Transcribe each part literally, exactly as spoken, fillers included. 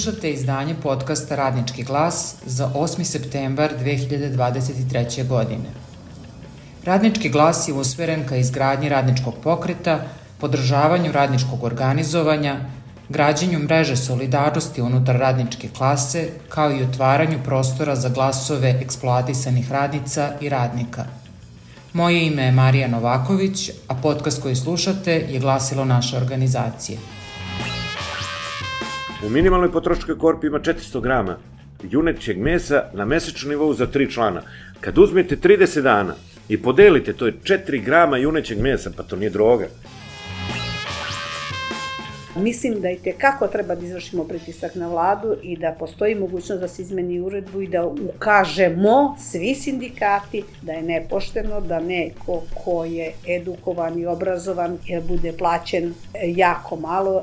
Slušate izdanje podcasta Radnički glas za osmi septembar dve hiljade dvadeset treće. godine. Radnički glas je usmeren ka izgradnji radničkog pokreta, podržavanju radničkog organizovanja, građenju mreže solidarnosti unutar radničke klase, kao i otvaranju prostora za glasove eksploatisanih radnica i radnika. Moje ime je Marija Novaković, a podcast koji slušate je glasilo naše organizacije. U minimalnoj potrošačkoj korpi ima četiristo grama junećeg mesa na mesečnom nivou za tri člana. Kad uzmete trideset dana i podelite, to je četiri grama junećeg mesa, pa to nije droga. Mislim da i tekako treba da izvršimo pritisak na vladu i da postoji mogućnost da se izmeni uredbu i da ukažemo svi sindikati da je nepošteno da neko ko je edukovan i obrazovan bude plaćen jako malo.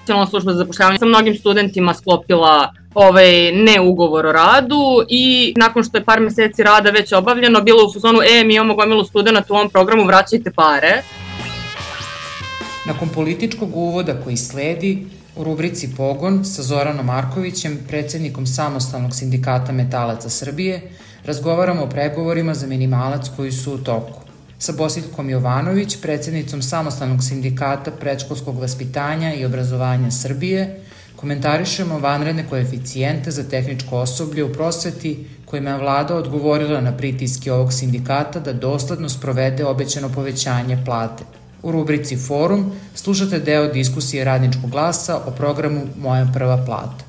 Nacionalna služba za zapošljavanje sa mnogim studentima sklopila ovaj ne ugovor o radu i nakon što je par meseci rada već obavljeno, bilo u fazonu, e, mi imamo gomilu studenta u ovom programu, vraćajte pare. Nakon političkog uvoda koji sledi, u rubrici Pogon sa Zoranom Markovićem, predsednikom Samostalnog sindikata metalaca Srbije, razgovaramo o pregovorima za minimalac koji su u toku. Sa Bosiljkom Jovanović, predsednicom Samostalnog sindikata predškolskog vaspitanja i obrazovanja Srbije, komentarišemo vanredne koeficijente za tehničko osoblje u prosveti kojima je vlada odgovorila na pritiske ovog sindikata da dosledno sprovede obećano povećanje plate. U rubrici Forum slušate deo diskusije Radničkog glasa o programu Moja prva plata.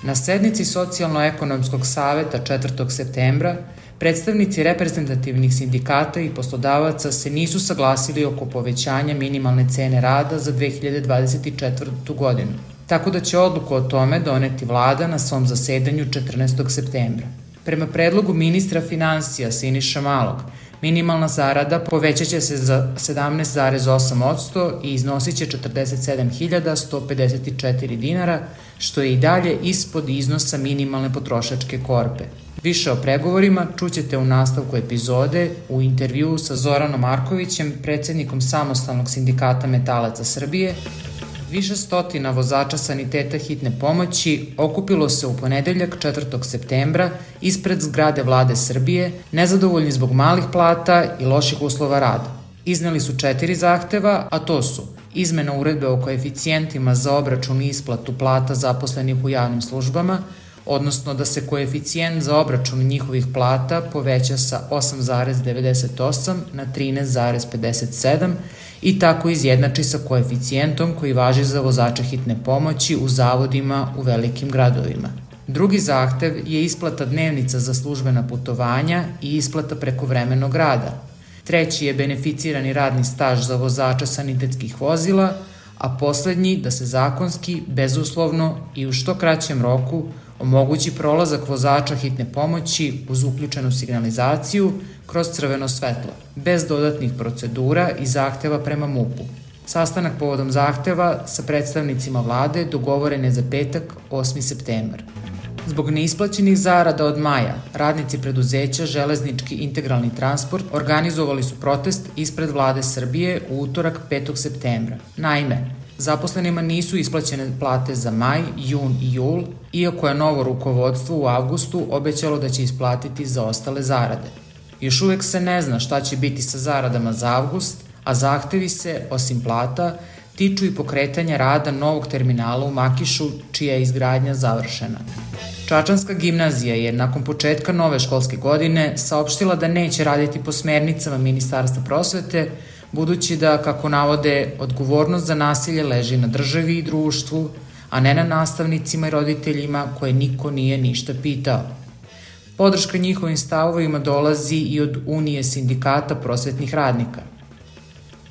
Na sednici Socijalno-ekonomskog saveta četvrtog septembra predstavnici reprezentativnih sindikata i poslodavaca se nisu saglasili oko povećanja minimalne cene rada za dve hiljade dvadeset četvrtu. godinu, tako da će odluku o tome doneti vlada na svom zasedanju četrnaestog septembra. Prema predlogu ministra finansija Siniše Malog, minimalna zarada povećat će se za sedamnaest zarez osam posto i iznosit će četrdeset sedam hiljada sto pedeset četiri dinara, što je i dalje ispod iznosa minimalne potrošačke korpe. Više o pregovorima čućete u nastavku epizode u intervjuu sa Zoranom Markovićem, predsednikom Samostalnog sindikata metalaca Srbije. Više stotina vozača saniteta hitne pomoći okupilo se u ponedeljak četvrtog septembra ispred zgrade vlade Srbije, nezadovoljni zbog malih plata i loših uslova rada. Izneli su četiri zahteva, a to su izmena uredbe o koeficijentima za obračun i isplatu plata zaposlenih u javnim službama, odnosno da se koeficijent za obračun njihovih plata poveća sa osam zarez devedeset osam na trinaest zarez pedeset sedam i tako izjednači sa koeficijentom koji važi za vozače hitne pomoći u zavodima u velikim gradovima. Drugi zahtev je isplata dnevnica za službena putovanja i isplata prekovremenog rada. Treći je beneficirani radni staž za vozača sanitetskih vozila, a poslednji da se zakonski, bezuslovno i u što kraćem roku omogući prolazak vozača hitne pomoći uz uključenu signalizaciju kroz crveno svetlo, bez dodatnih procedura i zahteva prema MUP-u. Sastanak povodom zahteva sa predstavnicima vlade dogovoren je za petak, osmi septembar. Zbog neisplaćenih zarada od maja, radnici preduzeća Železnički integralni transport organizovali su protest ispred vlade Srbije u utorak petog septembra. Naime, zaposlenima nisu isplaćene plate za maj, jun i jul, iako je novo rukovodstvo u avgustu obećalo da će isplatiti za ostale zarade. Još uvek se ne zna šta će biti sa zaradama za avgust, a zahtevi se, osim plata, tiču i pokretanja rada novog terminala u Makišu, čija je izgradnja završena. Čačanska gimnazija je nakon početka nove školske godine saopštila da neće raditi po smernicama Ministarstva prosvete, budući da, kako navode, odgovornost za nasilje leži na državi i društvu, a ne na nastavnicima i roditeljima koje niko nije ništa pitao. Podrška njihovim stavovima dolazi i od Unije sindikata prosvetnih radnika.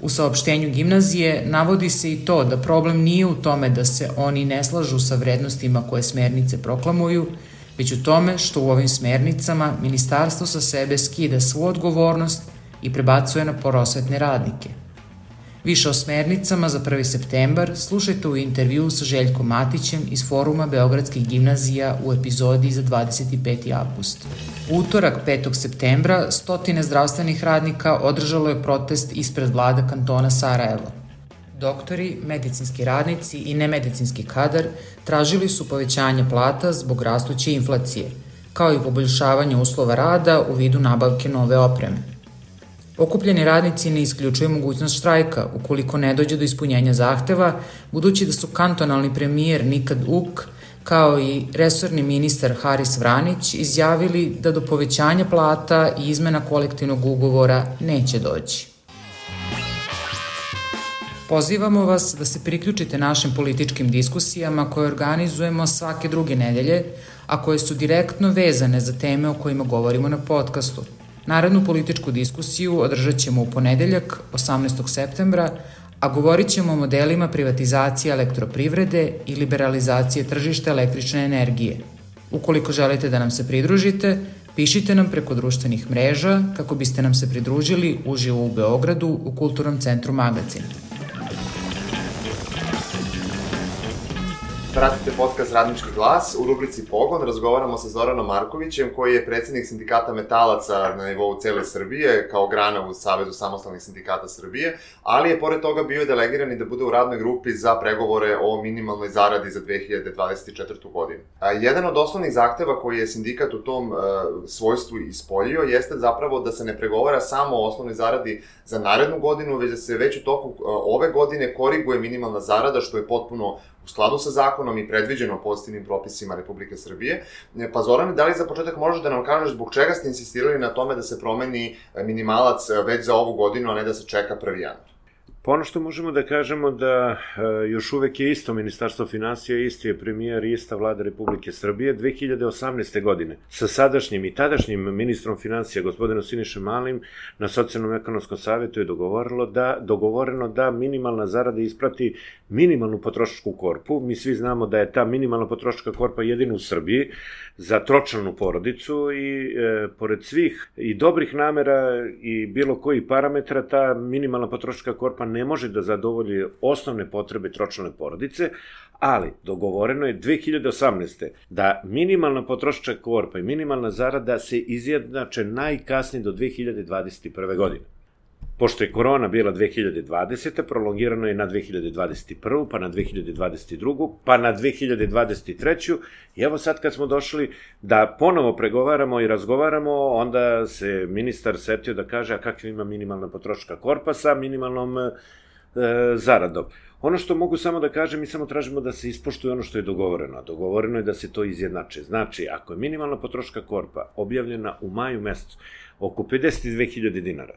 U saopštenju gimnazije navodi se i to da problem nije u tome da se oni ne slažu sa vrednostima koje smernice proklamuju, već u tome što u ovim smernicama ministarstvo sa sebe skida svu odgovornost i prebacuje na prosvetne radnike. Više o smernicama za prvi septembar slušajte u intervjuu sa Željkom Matićem iz Foruma Beogradskih gimnazija u epizodi za dvadeset peti avgust. U utorak petog septembra stotine zdravstvenih radnika održalo je protest ispred vlade kantona Sarajevo. Doktori, medicinski radnici i nemedicinski kadar tražili su povećanje plata zbog rastuće inflacije, kao i poboljšavanje uslova rada u vidu nabavke nove opreme. Okupljeni radnici ne isključuju mogućnost štrajka ukoliko ne dođe do ispunjenja zahteva, budući da su kantonalni premijer Nikad Uk kao i resorni ministar Haris Vranić izjavili da do povećanja plata i izmena kolektivnog ugovora neće doći. Pozivamo vas da se priključite našim političkim diskusijama koje organizujemo svake druge nedelje, a koje su direktno vezane za teme o kojima govorimo na podcastu. Narednu političku diskusiju održat ćemo u ponedeljak, osamnaestog septembra, a govorit ćemo o modelima privatizacije elektroprivrede i liberalizacije tržišta električne energije. Ukoliko želite da nam se pridružite, pišite nam preko društvenih mreža kako biste nam se pridružili uživo u Beogradu u Kulturnom centru Magazin. Pratite podcast Radnički glas. U rubrici Pogon razgovaramo sa Zoranom Markovićem, koji je predsednik sindikata metalaca na nivou cele Srbije, kao grana u Savezu samostalnih sindikata Srbije, ali je pored toga bio delegiran i da bude u radnoj grupi za pregovore o minimalnoj zaradi za dve hiljade dvadeset četvrtu. godinu. A, jedan od osnovnih zahteva koji je sindikat u tom uh, svojstvu ispoljio jeste zapravo da se ne pregovara samo o osnovnoj zaradi za narednu godinu, već da se već u toku uh, ove godine koriguje minimalna zarada, što je potpuno u skladu sa zakonom i predviđeno pozitivnim propisima Republike Srbije. Pa Zorane, da li za početak možeš da nam kažeš zbog čega ste insistirali na tome da se promeni minimalac već za ovu godinu, a ne da se čeka prvi januar? Pa ono što možemo da kažemo da e, još uvek je isto Ministarstvo finansija, isti je premijer i ista vlada Republike Srbije. dve hiljade osamnaeste. godine sa sadašnjim i tadašnjim ministrom finansija, gospodinom Sinišom Malim, na Socijalnom ekonomskom savetu je dogovorilo da, dogovoreno da minimalna zarada isprati minimalnu potrošačku korpu. Mi svi znamo da je ta minimalna potrošačka korpa jedina u Srbiji za tročlanu porodicu i e, pored svih i dobrih namera i bilo kojih parametra, ta minimalna potrošačka korpa ne može da zadovolji osnovne potrebe tročlane porodice, ali dogovoreno je dve hiljade osamnaeste. da minimalna potrošačka korpa i minimalna zarada se izjednače najkasnije do dve hiljade dvadeset prve. godine. Pošto je korona bila dve hiljade dvadesete. prolongirano je na dve hiljade dvadeset prvu. pa na dve hiljade dvadeset drugu. pa na dve hiljade dvadeset treću. I evo sad kad smo došli da ponovo pregovaramo i razgovaramo, onda se ministar setio da kaže, a kakva ima minimalna potrošačka korpa sa minimalnom e, zaradom. Ono što mogu samo da kažem, mi samo tražimo da se ispoštuje ono što je dogovoreno. A dogovoreno je da se to izjednače. Znači, ako je minimalna potrošačka korpa objavljena u maju mesecu oko pedeset dve hiljade dinara,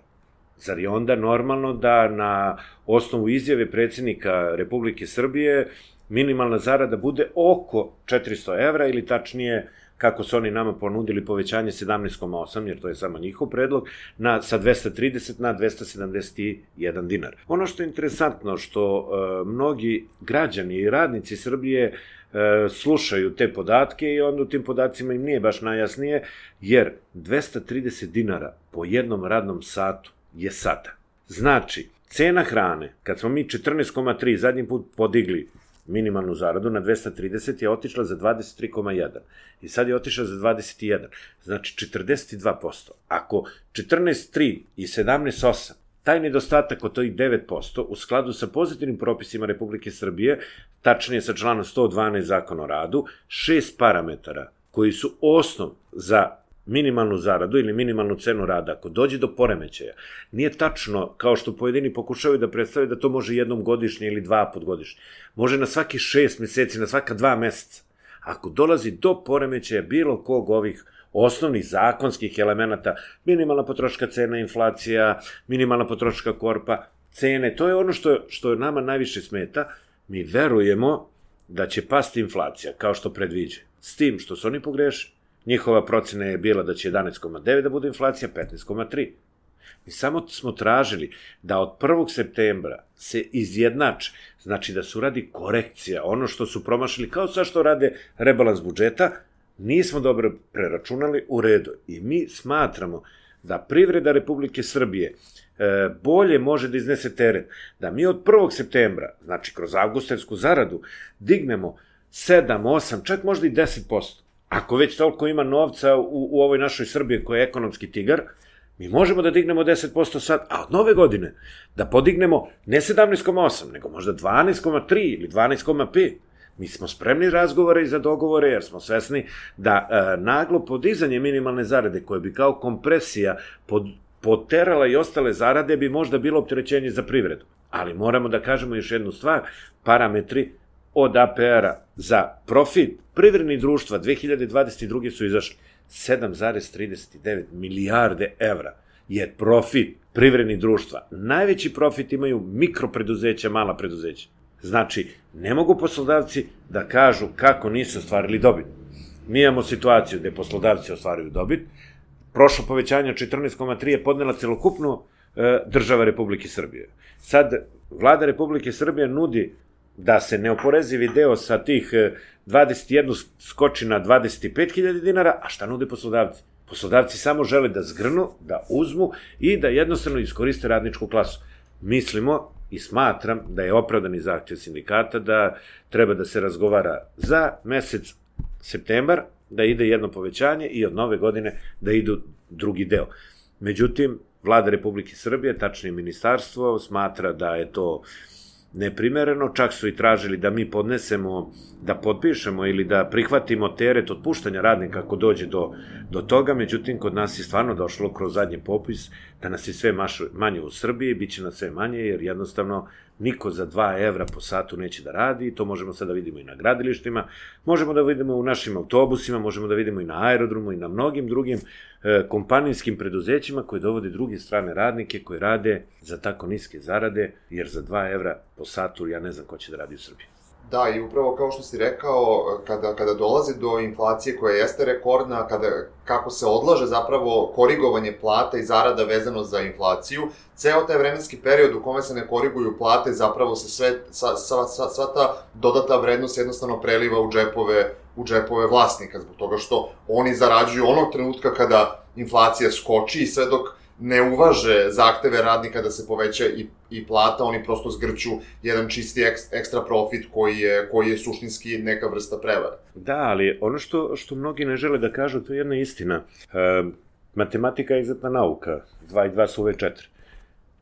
zar je onda normalno da na osnovu izjave predsjednika Republike Srbije minimalna zarada bude oko četiristo evra ili tačnije, kako su oni nama ponudili, povećanje sedamnaest zarez osam, jer to je samo njihov predlog, na, sa dvesta trideset na dvesta sedamdeset jedan dinar. Ono što je interesantno, što e, mnogi građani i radnici Srbije e, slušaju te podatke i onda u tim podacima im nije baš najjasnije, jer dvesta trideset dinara po jednom radnom satu je sada. Znači, cena hrane, kad smo mi četrnaest zarez tri zadnji put podigli minimalnu zaradu na dvesta trideset, je otišla za dvadeset tri zarez jedan i sad je otišla za dvadeset jedan, znači četrdeset dva posto. Ako četrnaest zarez tri i sedamnaest zarez osam, taj nedostatak od tih devet posto u skladu sa pozitivnim propisima Republike Srbije, tačnije sa članom sto dvanaest Zakona o radu, šest parametara koji su osnov za minimalnu zaradu ili minimalnu cenu rada, ako dođe do poremećaja, nije tačno, kao što pojedini pokušavaju da predstave, da to može jednom godišnje ili dva put godišnje. Može na svaki šest meseci, na svaka dva meseca. Ako dolazi do poremećaja bilo kog ovih osnovnih zakonskih elemenata, minimalna potrošačka cena, inflacija, minimalna potrošačka korpa, cene, to je ono što, što nama najviše smeta. Mi verujemo da će pasti inflacija, kao što predviđa. S tim što su oni pogrešili. Njihova procena je bila da će jedanaest zarez devet da bude inflacija, petnaest zarez tri. Mi samo smo tražili da od prvog septembra se izjednače, znači da se uradi korekcija, ono što su promašili, kao sad što rade rebalans budžeta, nismo dobro preračunali u redu. I mi smatramo da privreda Republike Srbije e, bolje može da iznese teret, da mi od prvog septembra, znači kroz avgustarsku zaradu, dignemo sedam, osam, čak možda i deset posto. Ako već toliko ima novca u, u ovoj našoj Srbiji koja je ekonomski tigar, Mi možemo da dignemo deset posto sad, a od nove godine da podignemo ne sedamnaest zarez osam, nego možda dvanaest zarez tri ili dvanaest zarez pet. Mi smo spremni razgovore i za dogovore, jer smo svesni da e, naglo podizanje minimalne zarade, koje bi kao kompresija pod, poterala i ostale zarade, bi možda bilo opterećenje za privredu. Ali moramo da kažemo još jednu stvar, parametri od A P R-a za profit privrednih društva dve hiljade dvadeset druge su izašli. sedam zarez trideset devet milijarde evra je profit privrednih društva. Najveći profit imaju mikropreduzeća, mala preduzeća. Znači, ne mogu poslodavci da kažu kako nisu ostvarili dobit. Mi imamo situaciju gde poslodavci ostvaruju dobit. Prošlo povećanje četrnaest zarez tri je podnela celokupnu e, država Republike Srbije. Sad, vlada Republike Srbije nudi da se neoporezivi deo sa tih dvadeset jedan skoči na dvadeset pet hiljada dinara, a šta nude poslodavci? Poslodavci samo žele da zgrnu, da uzmu i da jednostavno iskoriste radničku klasu. Mislimo i smatram da je opravdani zahtev sindikata da treba da se razgovara za mesec septembar, da ide jedno povećanje i od nove godine da idu drugi deo. Međutim, vlada Republike Srbije, tačnije ministarstvo, smatra da je to neprimereno, čak su i tražili da mi podnesemo, da potpišemo ili da prihvatimo teret otpuštanja radnika ako dođe do, do toga, međutim, kod nas je stvarno došlo kroz zadnji popis da nas je sve maš, manje u Srbiji, bit će nas sve manje, jer jednostavno niko za dva evra po satu neće da radi, to možemo sad da vidimo i na gradilištima, možemo da vidimo u našim autobusima, možemo da vidimo i na aerodromu i na mnogim drugim e, kompanijskim preduzećima koji dovode druge strane radnike koji rade za tako niske zarade, jer za dva evra po satu ja ne znam ko će da radi u Srbiji. Da, i upravo kao što si rekao, kada, kada dolazi do inflacije koja jeste rekordna, kada, kako se odlaže zapravo korigovanje plata i zarada vezano za inflaciju, ceo taj vremenski period u kome se ne koriguju plate, zapravo se sve, sa, sa, sa, sva ta dodata vrednost jednostavno preliva u džepove, u džepove vlasnika, zbog toga što oni zarađuju onog trenutka kada inflacija skoči i sve dok ne uvaže zahteve radnika da se poveća i, i plata, oni prosto zgrću jedan čisti ek, ekstra profit koji je, koji je suštinski neka vrsta prevara. Da, ali ono što, što mnogi ne žele da kažu, to je jedna istina. E, matematika je egzaktna nauka, dva i dva su uvek četiri.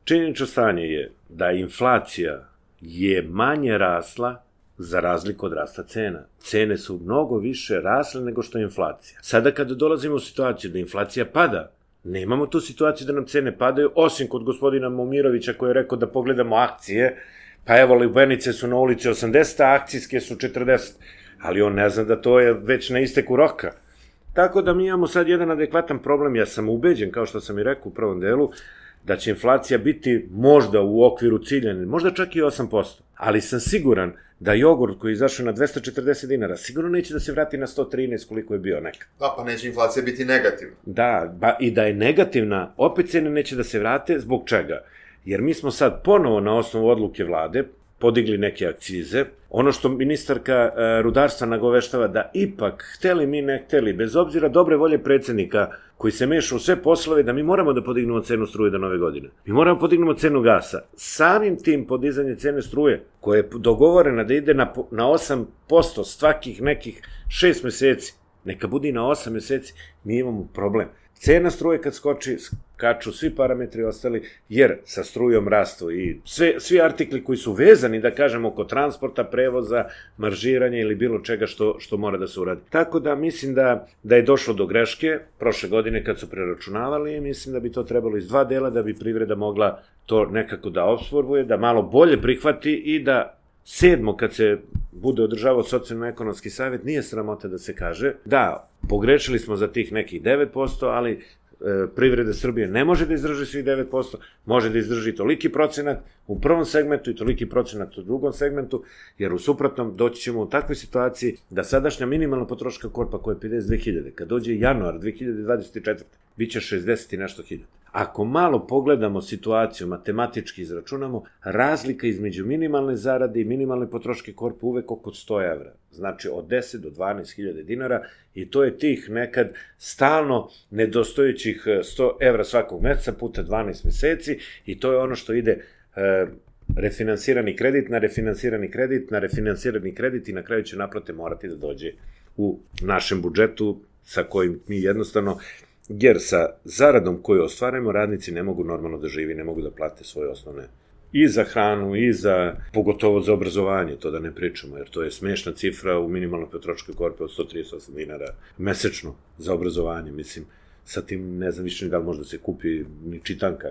Činjenično stanje je da inflacija je manje rasla za razliku od rasta cena. Cene su mnogo više rasle nego što je inflacija. Sada kada dolazimo u situaciju da inflacija pada, nemamo tu situaciju da nam cene padaju, osim kod gospodina Momirovića koji je rekao da pogledamo akcije, pa evo lubenice su na ulici osamdeset, a akcijske su četrdeset, ali on ne zna da to je već na isteku roka. Tako da mi imamo sad jedan adekvatan problem, ja sam ubeđen, kao što sam i rekao u prvom delu, da će inflacija biti možda u okviru ciljane, možda čak i osam posto, ali sam siguran da jogurt koji je izašao na dvesta četrdeset dinara sigurno neće da se vrati na sto trinaest koliko je bio nekad. Da, pa neće inflacija biti negativna. Da, ba, i da je negativna, opet cene neće da se vrate, zbog čega? Jer mi smo sad ponovo na osnovu odluke vlade podigli neke akcize. Ono što ministarka rudarstva nagoveštava da ipak, hteli mi ne hteli, bez obzira dobre volje predsednika koji se meša u sve poslove, da mi moramo da podignemo cenu struje do nove godine. Mi moramo da podignemo cenu gasa. Samim tim podizanje cene struje, koja je dogovorena da ide na, na osam posto svakih nekih šest meseci, neka bude i na osam meseci, mi imamo problem. Cena struje kad skoči, skaču svi parametri ostali, jer sa strujom rastu i sve, svi artikli koji su vezani, da kažemo, oko transporta, prevoza, maržiranja ili bilo čega što, što mora da se uradi. Tako da mislim da, da je došlo do greške prošle godine kad su preračunavali i mislim da bi to trebalo iz dva dela da bi privreda mogla to nekako da apsorbuje, da malo bolje prihvati i da sedmo, kad se bude održavao socijalno-ekonomski savjet, nije sramota da se kaže da pogrešili smo za tih nekih devet posto, ali e, privreda Srbije ne može da izdrži svih devet posto, može da izdrži toliki procenat u prvom segmentu i toliki procenat u drugom segmentu, jer u suprotnom doći ćemo u takvoj situaciji da sadašnja minimalna potroška korpa koja je pedeset dve hiljade, kad dođe januar dve hiljade dvadeset četvrte bit će šezdeset i nešto hiljada. Ako malo pogledamo situaciju, matematički izračunamo, razlika između minimalne zarade i minimalne potroške korpe uvek oko sto evra. Znači od deset do dvanaest hiljada dinara i to je tih nekad stalno nedostojećih sto evra svakog meseca puta dvanaest meseci i to je ono što ide e, refinansirani kredit na refinansirani kredit na refinansirani kredit i na kraju će naplate morati da dođe u našem budžetu sa kojim mi jednostavno jer sa zaradom koju ostvarujemo radnici ne mogu normalno da živi, ne mogu da plate svoje osnovne i za hranu, i za, pogotovo za obrazovanje, to da ne pričamo, jer to je smešna cifra u minimalnoj potrošačkoj korpi od sto trideset osam dinara mesečno za obrazovanje, mislim, sa tim ne znam više ni da li može da se kupi ni čitanka,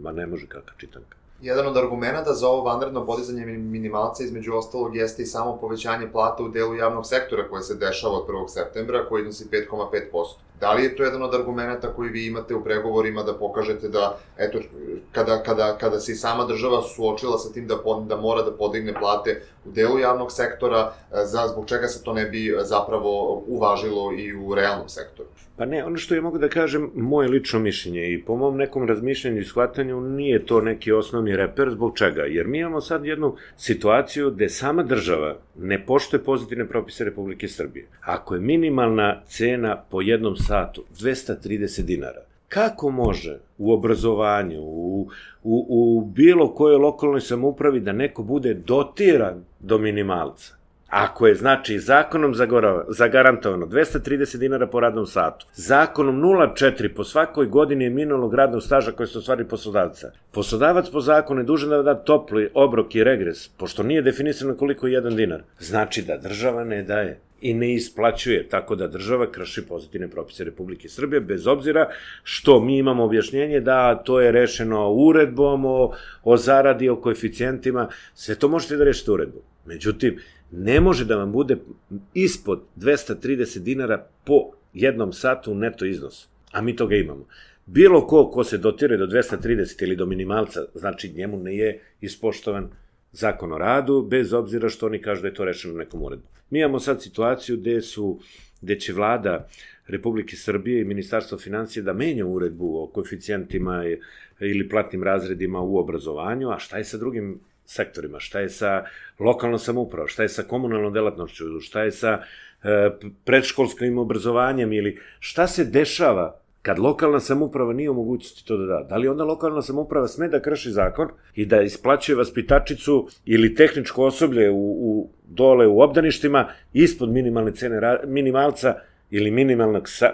ma ne može kakva čitanka. Jedan od argumenta za ovo vanredno podizanje minimalca između ostalog jeste i samo povećanje plata u delu javnog sektora koje se dešava od prvog septembra, koji iznosi pet zarez pet posto. Da li je to jedan od argumenta koji vi imate u pregovorima da pokažete da, eto, kada, kada, kada se i sama država suočila sa tim da, da mora da podigne plate u delu javnog sektora, za, zbog čega se to ne bi zapravo uvažilo i u realnom sektoru? Pa ne, ono što ja mogu da kažem, moje lično mišljenje i po mom nekom razmišljanju i shvatanju nije to neki osnovni reper, zbog čega? Jer mi imamo sad jednu situaciju gde sama država ne poštuje pozitivne propise Republike Srbije. Ako je minimalna cena po jednom satu dvesta trideset dinara, kako može u obrazovanju, u, u, u bilo kojoj lokalnoj samoupravi da neko bude dotiran do minimalca? Ako je, znači, zakonom zagarantovano dvesta trideset dinara po radnom satu, zakonom nula zarez četiri po svakoj godini minulog radnog staža koje se ostvari poslodavca, poslodavac po zakonu je dužan da da topli obrok i regres, pošto nije definisano koliko je jedan dinar, znači da država ne daje i ne isplaćuje, tako da država krši pozitivne propise Republike Srbije, bez obzira što mi imamo objašnjenje da to je rešeno uredbom o, o zaradi, o koeficijentima, sve to možete da rešite uredbom. Međutim, ne može da vam bude ispod dvesta trideset dinara po jednom satu neto iznos, a mi toga imamo. Bilo ko ko se dotire do dvesta trideset ili do minimalca, znači njemu ne je ispoštovan zakon o radu, bez obzira što oni kažu da je to rešeno nekom uredbom. Mi imamo sad situaciju gde su, gde će vlada Republike Srbije i Ministarstvo finansija da menja uredbu o koeficijentima ili platnim razredima u obrazovanju, a šta je sa drugim sektorima, šta je sa lokalnom samoupravom, šta je sa komunalnom delatnošću, šta je sa e, predškolskim obrazovanjem ili šta se dešava kad lokalna samouprava nije u mogućnosti to da da. Da li onda lokalna samouprava sme da krši zakon i da isplaćuje vaspitačicu ili tehničko osoblje u, u, dole u obdaništima ispod minimalne cene, minimalca ili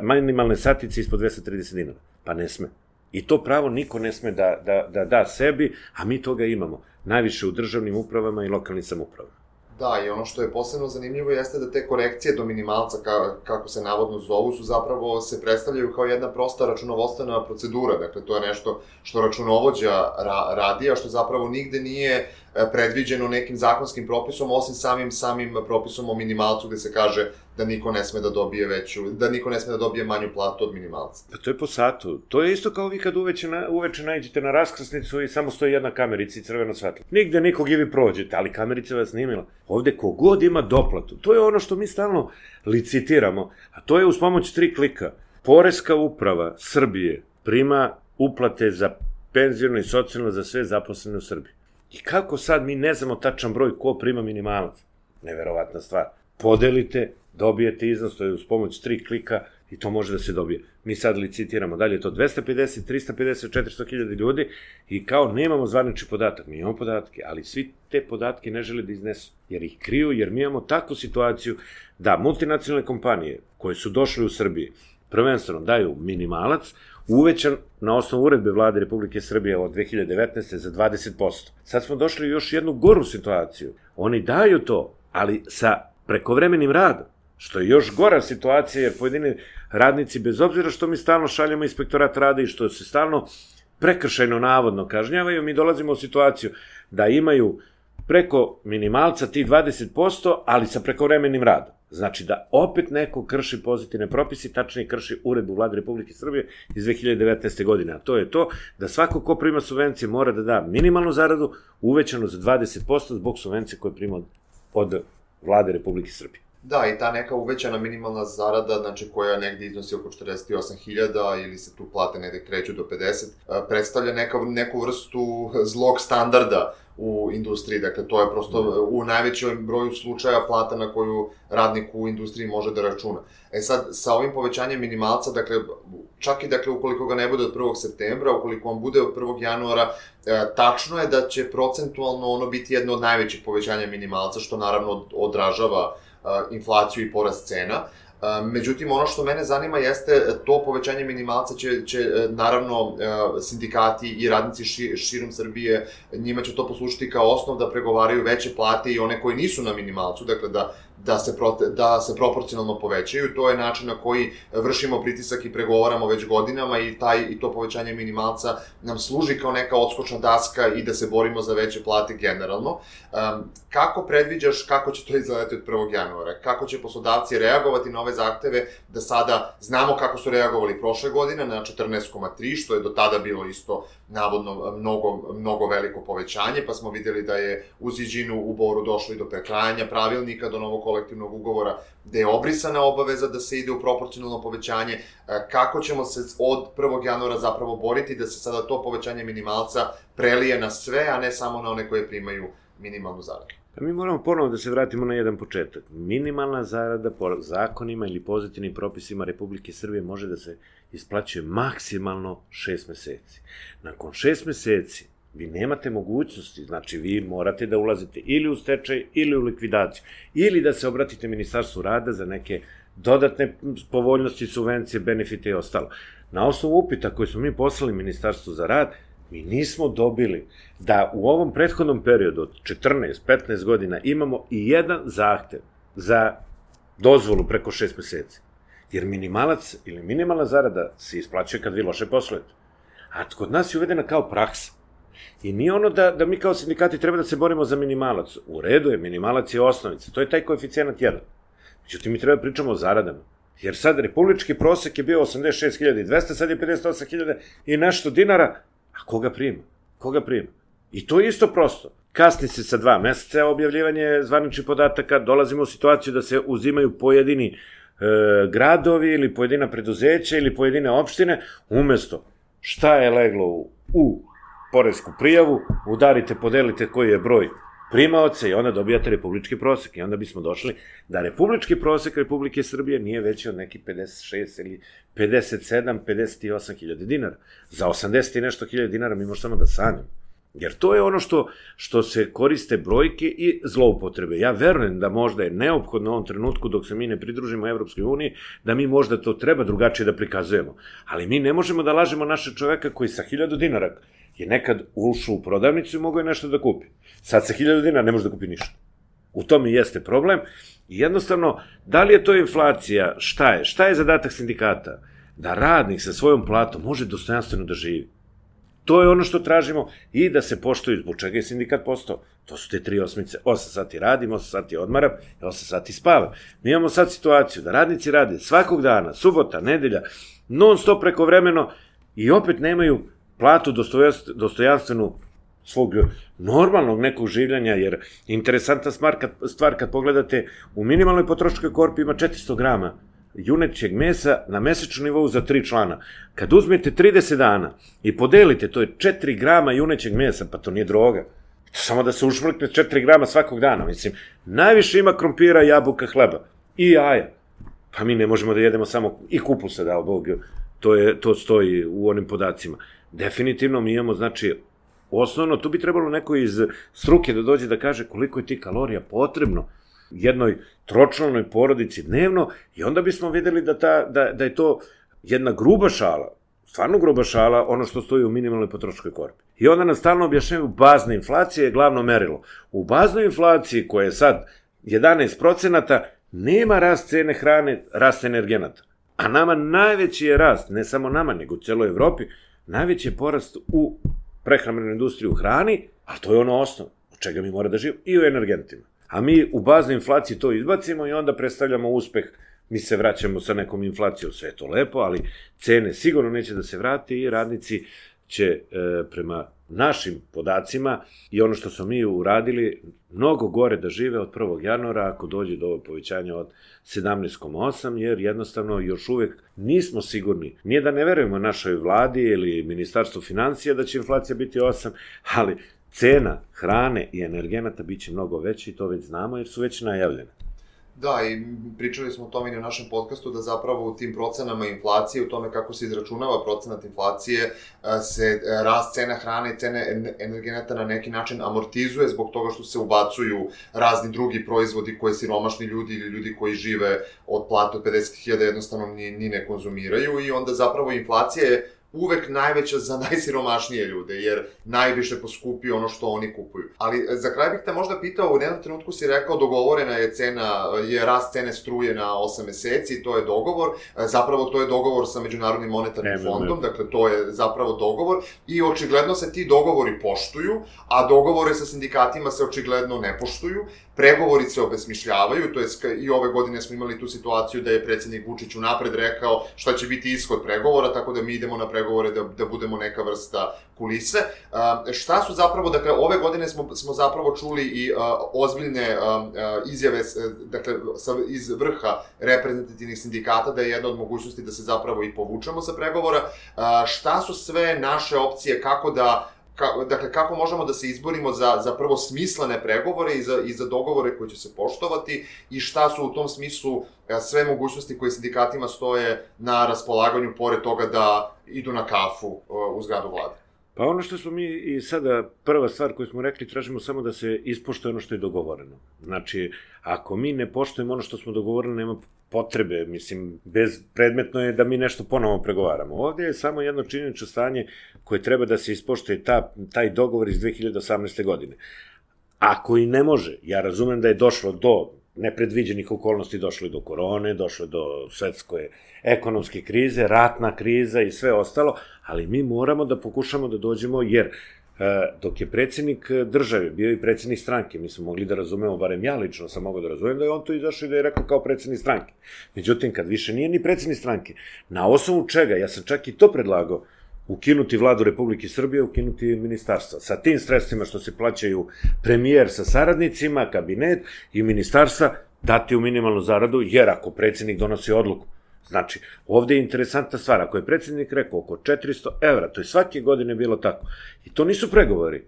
minimalne satice ispod dvesta trideset dinara? Pa ne sme. I to pravo niko ne sme da, da, da da sebi, a mi toga imamo. Najviše u državnim upravama i lokalnim samoupravama. Da, i ono što je posebno zanimljivo jeste da te korekcije do minimalca, ka, kako se navodno zovu, su zapravo se predstavljaju kao jedna prosta računovodstvena procedura. Dakle, to je nešto što računovođa ra, radi, a što zapravo nigde nije predviđeno nekim zakonskim propisom, osim samim samim propisom o minimalcu, gde se kaže da niko ne sme da dobije veću, da niko ne sme da dobije manju platu od minimalca. Pa to je po satu. To je isto kao vi kad uveče, na, uveče nađete na raskrsnicu i samo stoji jedna kamerica i crveno svetlo. Nigde nikog i vi prođete, ali kamerica vas snimila. Ovde kogod ima doplatu. To je ono što mi stalno licitiramo, a to je uz pomoć tri klika. Poreska uprava Srbije prima uplate za penzijno i socijalno za sve zaposlene u Srbiji. I kako sad mi ne znamo tačan broj ko prima minimalac? Neverovatna stvar. Podelite, dobijete iznos, to je uz pomoć tri klika i to može da se dobije. Mi sad licitiramo, dalje je to dvesta pedeset, trista pedeset, četiristo hiljada ljudi i kao nemamo zvanični podatak, mi imamo podatke, ali svi te podatke ne žele da iznesu, jer ih kriju, jer mi imamo takvu situaciju da multinacionalne kompanije koje su došle u Srbiji prvenstveno daju minimalac, uvećan na osnovu uredbe vlade Republike Srbije od dve hiljade devetnaeste. za dvadeset posto. Sad smo došli u još jednu goru situaciju. Oni daju to, ali sa prekovremenim radom, što je još gora situacija, jer pojedini radnici, bez obzira što mi stalno šaljamo inspektorat rada i što se stalno prekršajno navodno kažnjavaju, mi dolazimo u situaciju da imaju preko minimalca ti dvadeset posto, ali sa prekovremenim radom. Znači da opet neko krši pozitivne propisi, tačnije krši uredbu vlade Republike Srbije iz dve hiljade devetnaeste. godine. A to je to da svako ko prima subvencije mora da da minimalnu zaradu uvećanu za dvadeset posto zbog subvencije koje prima od, od vlade Republike Srbije. Da, i ta neka uvećana minimalna zarada, znači koja negde iznosi oko četrdeset osam hiljada ili se tu plate negde kreću do pedeset, predstavlja neka, neku vrstu zlog standarda u industriji, dakle to je prosto u najvećem broju slučaja plata na koju radnik u industriji može da računa. E sad, sa ovim povećanjem minimalca, dakle, čak i dakle ukoliko ga ne bude od prvog septembra, ukoliko on bude od prvog januara, e, tačno je da će procentualno ono biti jedno od najvećih povećanja minimalca, što naravno odražava inflaciju i porast cena, Međutim, ono što mene zanima jeste to povećanje minimalca će, će naravno sindikati i radnici ši, širom Srbije, njima će to poslušati kao osnov da pregovaraju veće plate i one koji nisu na minimalcu, dakle da da se, prote, da se proporcionalno povećaju. To je način na koji vršimo pritisak i pregovaramo već godinama i, taj, i to povećanje minimalca nam služi kao neka odskočna daska i da se borimo za veće plate generalno. Um, kako predviđaš kako će to izgledati od prvog januara? Kako će poslodavci reagovati na ove zahteve da sada znamo kako su reagovali prošle godine na četrnaest zarez tri, što je do tada bilo isto navodno mnogo, mnogo veliko povećanje, pa smo videli da je u Ziđinu u Boru došlo i do prekrajanja pravilnika, do novog kolektivnog ugovora, gde je obrisana obaveza da se ide u proporcionalno povećanje. Kako ćemo se od prvog januara zapravo boriti da se sada to povećanje minimalca prelije na sve, a ne samo na one koje primaju minimalnu zaradu? Pa mi moramo ponovo da se vratimo na jedan početak. Minimalna zarada po zakonima ili pozitivnim propisima Republike Srbije može da se isplaćuje maksimalno šest meseci. Nakon šest meseci vi nemate mogućnosti, znači vi morate da ulazite ili u stečaj ili u likvidaciju, ili da se obratite Ministarstvu rada za neke dodatne povoljnosti, subvencije, benefite i ostalo. Na osnovu upita koji smo mi poslali Ministarstvu za rad, mi nismo dobili da u ovom prethodnom periodu od četrnaest do petnaest godina imamo i jedan zahtev za dozvolu preko šest meseci. Jer minimalac ili minimalna zarada se isplaćuje kad vi loše poslujete. A kod nas je uvedena kao praksa. I nije ono da, da mi kao sindikati treba da se borimo za minimalac. U redu je, minimalac je osnovica, to je taj koeficijenat jedan. Međutim, mi treba da pričamo o zaradama. Jer sad republički prosek je bio osamdeset šest hiljada dvesta, sad je pedeset osam hiljada i nešto dinara. A koga prima? Koga prima? I to je isto prosto. Kasni se sa dva meseca objavljivanje zvaničnih podataka, dolazimo u situaciju da se uzimaju pojedini e, gradovi ili pojedina preduzeća ili pojedine opštine, umesto šta je leglo u, u poresku prijavu, udarite, podelite koji je broj primaoca i onda dobijate republički prosek. I onda bismo došli da republički prosek Republike Srbije nije veći od nekih pedeset šest ili pedeset sedam, pedeset osam hiljada dinara. Za osamdeset i nešto hiljada dinara mi možemo samo da sanjamo. Jer to je ono što, što se koriste brojke i zloupotrebe. Ja verujem da možda je neophodno u ovom trenutku dok se mi ne pridružimo Evropskoj uniji, da mi možda to treba drugačije da prikazujemo. Ali mi ne možemo da lažemo naše čoveka koji sa hiljadu dinara je nekad ušao u prodavnicu i mogao je nešto da kupi. Sad sa hiljadu dinara ne može da kupi ništa. U tome jeste problem. I jednostavno, da li je to inflacija, šta je? Šta je zadatak sindikata? Da radnik sa svojom platom može dostojanstveno da živi. To je ono što tražimo i da se poštuju, zbog čega je sindikat postao. To su te tri osmice, osam sati radim, osam sati odmaram, osam sati spavam. Mi imamo sad situaciju da radnici rade svakog dana, subota, nedelja, non stop prekovremeno i opet nemaju platu dostojanstvenu svog normalnog nekog življenja, jer interesantna stvar kad pogledate, u minimalnoj potrošačkoj korpi ima četiristo grama junećeg mesa na mesečnom nivou za tri člana. Kad uzmete trideset dana i podelite, to je četiri grama junećeg mesa, pa to nije droga. Samo da se ušmrkne četiri grama svakog dana. Mislim, najviše ima krompira, jabuka, hleba i jaja. Pa mi ne možemo da jedemo samo i kupusa, dao Bog, to, je, to stoji u onim podacima. Definitivno mi imamo, znači, osnovno, tu bi trebalo neko iz struke da dođe da kaže koliko je ti kalorija potrebno jednoj tročlanoj porodici dnevno i onda bismo videli da, ta, da, da je to jedna gruba šala, stvarno gruba šala, ono što stoji u minimalnoj potrošačkoj korpi. I onda nam stalno objašnjaju bazna inflacija je glavno merilo. U baznoj inflaciji koja je sad jedanaest procenata nema rast cene hrane, rast energenata. A nama najveći je rast, ne samo nama, nego u celoj Evropi, najveći je porast u prehrambenoj industriji u hrani, a to je ono osnov, od čega mi mora da živimo, i u energentima. A mi u baznoj inflaciji to izbacimo i onda predstavljamo uspeh, mi se vraćamo sa nekom inflacijom, sve je to lepo, ali cene sigurno neće da se vrati i radnici će e, prema našim podacima i ono što smo mi uradili, mnogo gore da žive od prvog januara ako dođe do ovog povećanja od sedamnaest zarez osam, jer jednostavno još uvek nismo sigurni. Nije da ne verujemo našoj vladi ili Ministarstvu financija da će inflacija biti osam, ali cena hrane i energenata biće mnogo veća i to već znamo jer su već najavljene. Da, i pričali smo o tome i na našem podcastu, da zapravo u tim procenama inflacije, u tome kako se izračunava procenat inflacije, se rast cena hrane i cene energenata na neki način amortizuje zbog toga što se ubacuju razni drugi proizvodi koje siromašni ljudi ili ljudi koji žive od plate od pedeset hiljada jednostavno ni, ni ne konzumiraju, i onda zapravo inflacija je uvek najveća za najsiromašnije ljude, jer najviše poskupi ono što oni kupuju. Ali za kraj bih te možda pitao, u jednom trenutku si rekao dogovorena je cena, je rast cene struje na osam meseci, to je dogovor, zapravo to je dogovor sa Međunarodnim monetarnim ne, fondom, ne. Dakle to je zapravo dogovor, i očigledno se ti dogovori poštuju, a dogovore sa sindikatima se očigledno ne poštuju. Pregovori se obesmišljavaju, to je i ove godine smo imali tu situaciju da je predsjednik Vučić unapred rekao šta će biti ishod pregovora, tako da mi idemo na pregovore da, da budemo neka vrsta kulise. Uh, šta su zapravo, dakle, ove godine smo, smo zapravo čuli i uh, ozbiljne uh, izjave, dakle, sa, iz vrha reprezentativnih sindikata da je jedna od mogućnosti da se zapravo i povučemo sa pregovora. Uh, šta su sve naše opcije, kako da Ka, dakle, kako možemo da se izborimo za, za prvo smislene pregovore i za, i za dogovore koji će se poštovati, i šta su u tom smislu sve mogućnosti koje sindikatima stoje na raspolaganju, pored toga da idu na kafu u zgradu vlade? Pa ono što smo mi i sada, prva stvar koju smo rekli, tražimo samo da se ispoštuje ono što je dogovoreno. Znači, ako mi ne poštujemo ono što smo dogovorili, nema potrebe, mislim, bezpredmetno je da mi nešto ponovo pregovaramo. Ovdje je samo jedno činjenično stanje koje treba da se ispoštuje, ta, taj dogovor iz dve hiljade osamnaeste. godine. Ako i ne može, ja razumem da je došlo do nepredviđenih okolnosti, došlo je do korone, došlo je do svetske ekonomske krize, ratna kriza i sve ostalo, ali mi moramo da pokušamo da dođemo, jer dok je predsjednik države bio i predsjednik stranke, mi smo mogli da razumemo, barem ja lično sam mogao da razumem, da je on to izašao i da je rekao kao predsjednik stranke. Međutim, kad više nije ni predsjednik stranke, na osnovu čega, ja sam čak i to predlagao, ukinuti vladu Republike Srbije, ukinuti ministarstva. Sa tim sredstvima što se plaćaju premijer sa saradnicima, kabinet i ministarstva, dati u minimalnu zaradu, jer ako predsjednik donosi odluku, znači, ovde je interesantna stvar, ako je predsjednik rekao oko četiristo evra, to je svake godine bilo tako, i to nisu pregovori,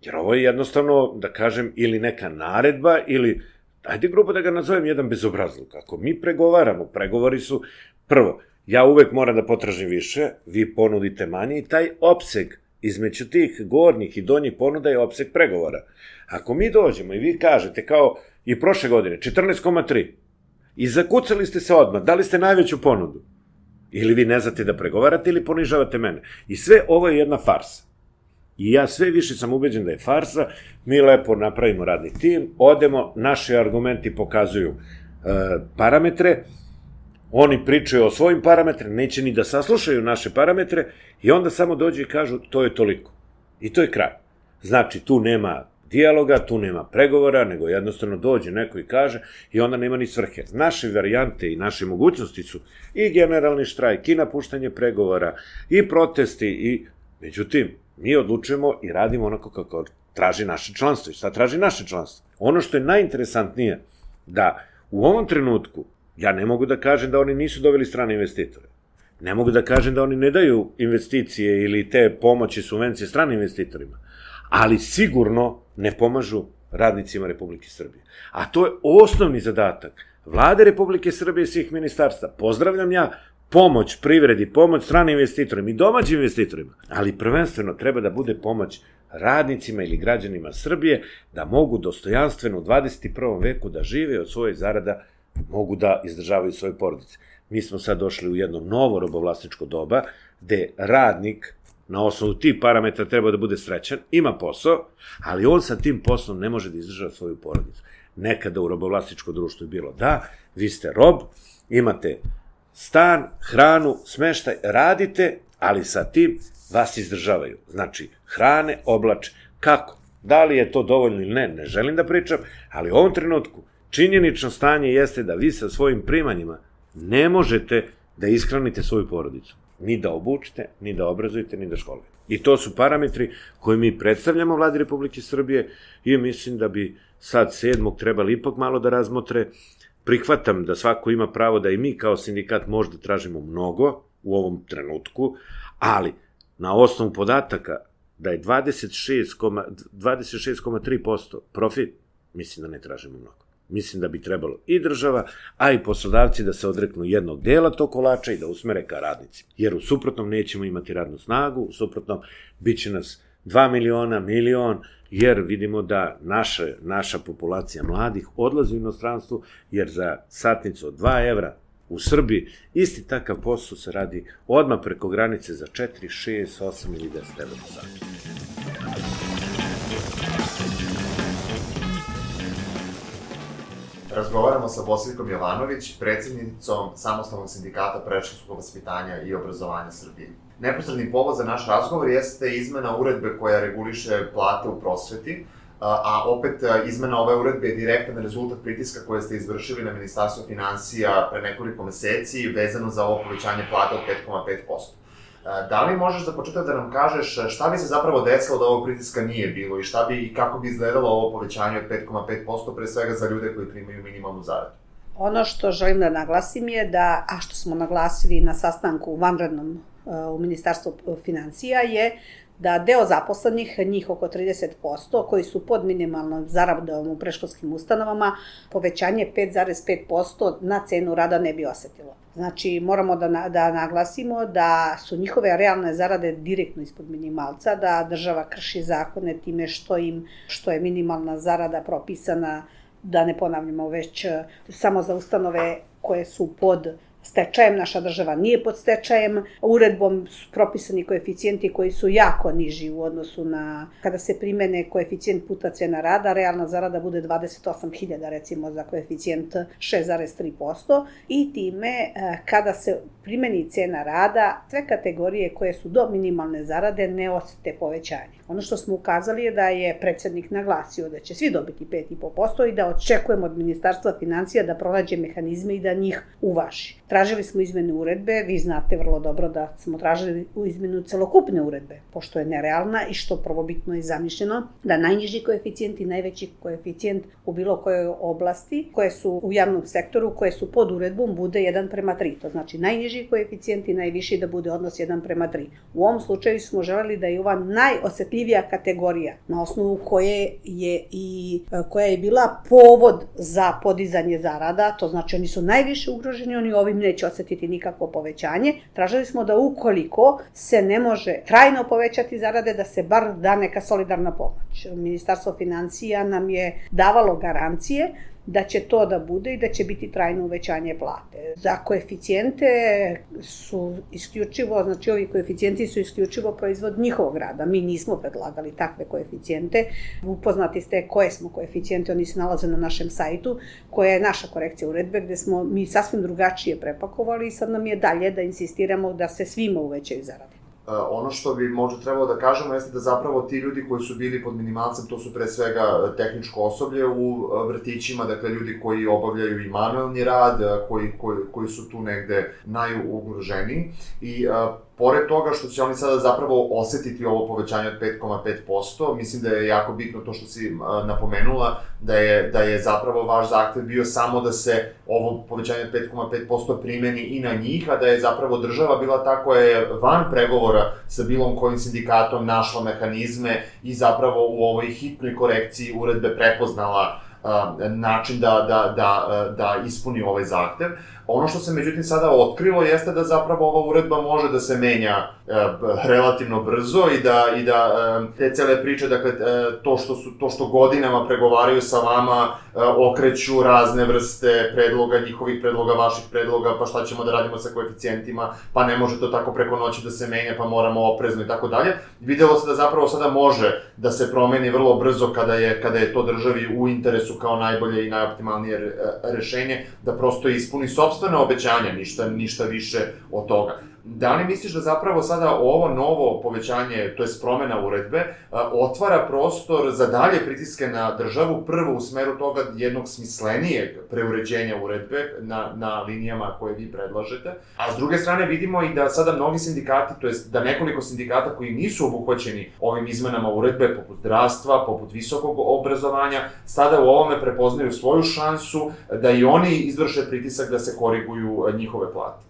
jer ovo je jednostavno, da kažem, ili neka naredba, ili, ajde grubo da ga nazovem, jedan bezobrazluk. Ako mi pregovaramo, pregovori su, prvo, ja uvek moram da potražim više, vi ponudite manje, i taj opseg između tih gornjih i donjih ponuda je opseg pregovora. Ako mi dođemo i vi kažete, kao i prošle godine, četrnaest zarez tri, i zakucali ste se odmah, dali ste najveću ponudu, ili vi ne znate da pregovarate ili ponižavate mene. I sve ovo je jedna farsa. I ja sve više sam ubeđen da je farsa, mi lepo napravimo radni tim, odemo, naši argumenti pokazuju e, parametre, oni pričaju o svojim parametrima, neće ni da saslušaju naše parametre, i onda samo dođu i kažu to je toliko. I to je kraj. Znači, tu nema dijaloga, tu nema pregovora, nego jednostavno dođe neko i kaže, i onda nema ni svrhe. Naše varijante i naše mogućnosti su i generalni štrajk, i napuštanje pregovora, i protesti, i međutim, mi odlučujemo i radimo onako kako traži naše članstvo. I šta traži naše članstvo? Ono što je najinteresantnije, da u ovom trenutku, ja ne mogu da kažem da oni nisu doveli strane investitore. Ne mogu da kažem da oni ne daju investicije ili te pomoći, subvencije stranim investitorima, ali sigurno ne pomažu radnicima Republike Srbije. A to je osnovni zadatak Vlade Republike Srbije i svih ministarstva. Pozdravljam ja pomoć privredi, pomoć stranim investitorima i domaćim investitorima, ali prvenstveno treba da bude pomoć radnicima ili građanima Srbije da mogu dostojanstveno u dvadeset prvom veku da žive od svojih zarada, mogu da izdržavaju svoje porodice. Mi smo sad došli u jedno novo robovlasničko doba, gde radnik na osnovu tih parametra treba da bude srećan, ima posao, ali on sa tim poslom ne može da izdržava svoju porodicu. Nekada u robovlasničko društvo je bilo da, vi ste rob, imate stan, hranu, smeštaj, radite, ali sa tim vas izdržavaju. Znači, hrane, oblače, kako? Da li je to dovoljno ili ne, ne želim da pričam, ali u ovom trenutku činjenično stanje jeste da vi sa svojim primanjima ne možete da ishranite svoju porodicu. Ni da obučite, ni da obrazujete, ni da školujete. I to su parametri koje mi predstavljamo Vladi Republike Srbije i mislim da bi sad sedmog trebali ipak malo da razmotre. Prihvatam da svako ima pravo da i mi kao sindikat možda tražimo mnogo u ovom trenutku, ali na osnovu podataka da je dvadeset šest zarez tri posto profit, mislim da ne tražimo mnogo. Mislim da bi trebalo i država, a i poslodavci da se odreknu jednog dela tog kolača i da usmere ka radnicima. Jer u suprotnom nećemo imati radnu snagu, u suprotnom bit će nas dva miliona, milion, jer vidimo da naša, naša populacija mladih odlazi u inostranstvu, jer za satnicu od dva evra u Srbiji isti takav posao se radi odmah preko granice za četiri, šest, osam ili deset evra do sata. Razgovaramo sa Bosiljkom Jovanović, predsjednicom Samostalnog sindikata predškolskog vaspitanja i obrazovanja Srbije. Neposredni povod za naš razgovor jeste izmena uredbe koja reguliše plate u prosveti, a opet izmena ove uredbe je direktan rezultat pritiska koje ste izvršili na Ministarstvo finansija pre nekoliko meseci vezano za ovo povećanje plata od pet zarez pet posto. Da li možeš za početak da nam kažeš šta bi se zapravo desilo da ovog pritiska nije bilo i šta bi i kako bi izgledalo ovo povećanje od pet zarez pet posto pre svega za ljude koji primaju minimalnu zaradu? Ono što želim da naglasim je da, a što smo naglasili na sastanku vanrednom u Ministarstvu finansija, je da deo zaposlenih, njih oko trideset posto, koji su pod minimalnom zaradom u predškolskim ustanovama, povećanje pet zarez pet posto na cenu rada ne bi osetilo. Znači, moramo da, da naglasimo da su njihove realne zarade direktno ispod minimalca, da država krši zakone time što im, što je minimalna zarada propisana, da ne ponavljamo već samo za ustanove koje su pod stečajem, naša država nije pod stečajem, uredbom su propisani koeficijenti koji su jako niži u odnosu na, kada se primene koeficijent puta cena rada, realna zarada bude dvadeset osam hiljada recimo za koeficijent šest zarez tri posto i time kada se primeni cena rada, sve kategorije koje su do minimalne zarade ne osete povećanje. Ono što smo ukazali je da je predsednik naglasio da će svi dobiti pet zarez pet posto i da očekujemo od Ministarstva finansija da pronađe mehanizme i da njih uvaži. Tražili smo izmene uredbe, vi znate vrlo dobro da smo tražili izmenu celokupne uredbe, pošto je nerealna i što prvobitno je zamišljeno da najniži koeficijent i najveći koeficijent u bilo kojoj oblasti koje su u javnom sektoru, koje su pod uredbom, bude jedan prema tri. To znači najniži koeficijent i najviši da bude odnos jedan prema tri. U ovom slučaju smo želeli da je ova najosetljivija kategorija na osnovu koje je i koja je bila povod za podizanje zarada, to znači oni su najviše ugroženi, oni ovim neće osetiti nikakvo povećanje. Tražili smo da ukoliko se ne može trajno povećati zarade, da se bar da neka solidarna pomoć. Ministarstvo finansija nam je davalo garancije da će to da bude i da će biti trajno uvećanje plate. Za koeficijente su isključivo, znači ovi koeficijenti su isključivo proizvod njihovog rada. Mi nismo predlagali takve koeficijente. Upoznati ste koje smo koeficijente, oni se nalaze na našem sajtu, koja je naša korekcija uredbe, gde smo mi sasvim drugačije prepakovali i sad nam je dalje da insistiramo da se svima uvećaju zarade. Ono što bi možda trebalo da kažemo jeste da zapravo ti ljudi koji su bili pod minimalcem, to su pre svega tehničko osoblje u vrtićima, dakle ljudi koji obavljaju i manuelni rad, koji, koji, koji su tu negde najugroženiji i pored toga što će oni sada zapravo osetiti ovo povećanje od pet zarez pet posto, mislim da je jako bitno to što si napomenula, da je, da je zapravo vaš zahtev bio samo da se ovo povećanje od pet zarez pet posto primeni i na njih, a da je zapravo država bila ta koja je van pregovora sa bilo kojim sindikatom našla mehanizme i zapravo u ovoj hitnoj korekciji uredbe prepoznala način da, da, da, da ispuni ovaj zahtev. Ono što se međutim sada otkrilo jeste da zapravo ova uredba može da se menja e, relativno brzo i da, i da e, te cele priče, dakle e, to, što su, to što godinama pregovaraju sa vama, e, okreću razne vrste predloga, njihovih predloga, vaših predloga, pa šta ćemo da radimo sa koeficijentima, pa ne može to tako preko noći da se menja, pa moramo oprezno i tako dalje. Videlo se da zapravo sada može da se promeni vrlo brzo kada je, kada je to državi u interesu kao najbolje i najoptimalnije rešenje, da prosto ispuni sopstvene obećanja, ništa, ništa više od toga. Da li misliš da zapravo sada ovo novo povećanje, to je promena uredbe, otvara prostor za dalje pritiske na državu, prvo u smeru toga jednog smislenijeg preuređenja uredbe na, na linijama koje vi predlažete, a s druge strane vidimo i da sada mnogi sindikati, to jest da nekoliko sindikata koji nisu obuhvaćeni ovim izmenama uredbe, poput zdravstva, poput visokog obrazovanja, sada u ovome prepoznaju svoju šansu da i oni izvrše pritisak da se koriguju njihove plate.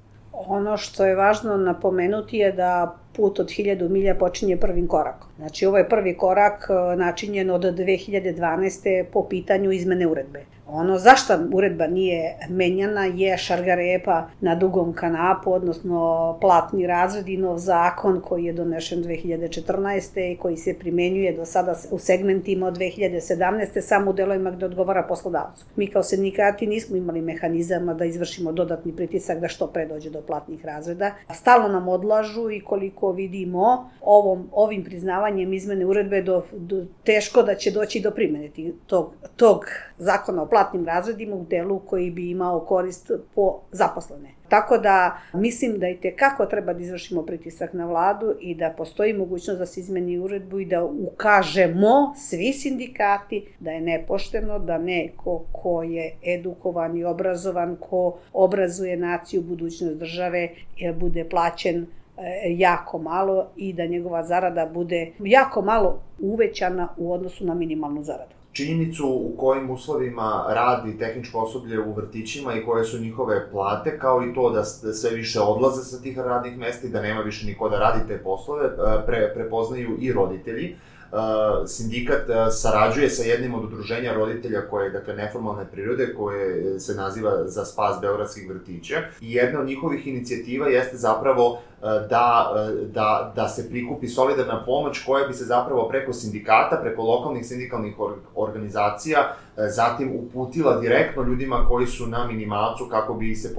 Ono što je važno napomenuti je da put od hiljadu milja počinje prvim korakom. Znači, ovo je prvi korak načinjen od dve hiljade dvanaeste. po pitanju izmene uredbe. Ono zašto uredba nije menjana je šargarepa na Dugom kanapu, odnosno platni razred i nov zakon koji je donešen dve hiljade četrnaeste i koji se primenjuje do sada u segmentima od dve hiljade sedamnaeste samo u delovima gde odgovara poslodavcu. Mi kao sindikati nismo imali mehanizama da izvršimo dodatni pritisak da što pre dođe do platnih razreda. Stalno nam odlažu i koliko vidimo ovom, ovim priznavanjem izmene uredbe do, do, teško da će doći do primene tog, tog zakona o platnim razredima u delu koji bi imao korist po zaposlene. Tako da mislim da i tekako treba da izvršimo pritisak na vladu i da postoji mogućnost da se izmeni uredbu i da ukažemo svi sindikati da je nepošteno da neko ko je edukovan i obrazovan, ko obrazuje naciju, budućnost države, bude plaćen jako malo i da njegova zarada bude jako malo uvećana u odnosu na minimalnu zaradu. Činjenicu u kojim uslovima radi tehničko osoblje u vrtićima i koje su njihove plate, kao i to da sve više odlaze sa tih radnih mesta i da nema više niko da radi te poslove, pre, prepoznaju i roditelji. Sindikat sarađuje sa jednim od udruženja roditelja koje je, dakle, neformalne prirode, koje se naziva Za spas beogradskih vrtića. I jedna od njihovih inicijativa jeste zapravo da, da, da se prikupi solidarna pomoć koja bi se zapravo preko sindikata, preko lokalnih sindikalnih organizacija, zatim uputila direktno ljudima koji su na minimalcu kako bi se,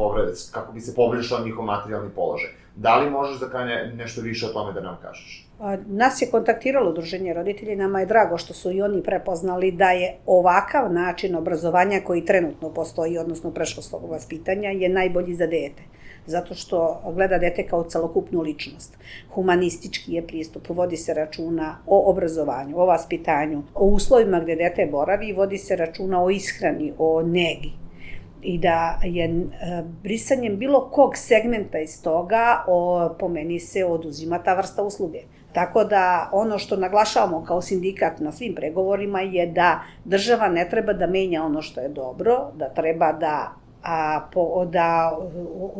kako bi se poboljšao njihov materijalni položaj. Da li možeš za kraj nešto više o tome da nam kažeš? Nas je kontaktiralo udruženje roditelja i nama je drago što su i oni prepoznali da je ovakav način obrazovanja koji trenutno postoji, odnosno predškolskog vaspitanja, je najbolji za dete. Zato što gleda dete kao celokupnu ličnost. Humanistički je pristup, vodi se računa o obrazovanju, o vaspitanju, o uslovima gde dete boravi, vodi se računa o ishrani, o negi. I da je brisanjem bilo kog segmenta iz toga, o, po meni se oduzima ta vrsta usluge. Tako da ono što naglašavamo kao sindikat na svim pregovorima je da država ne treba da menja ono što je dobro, da treba da a po, da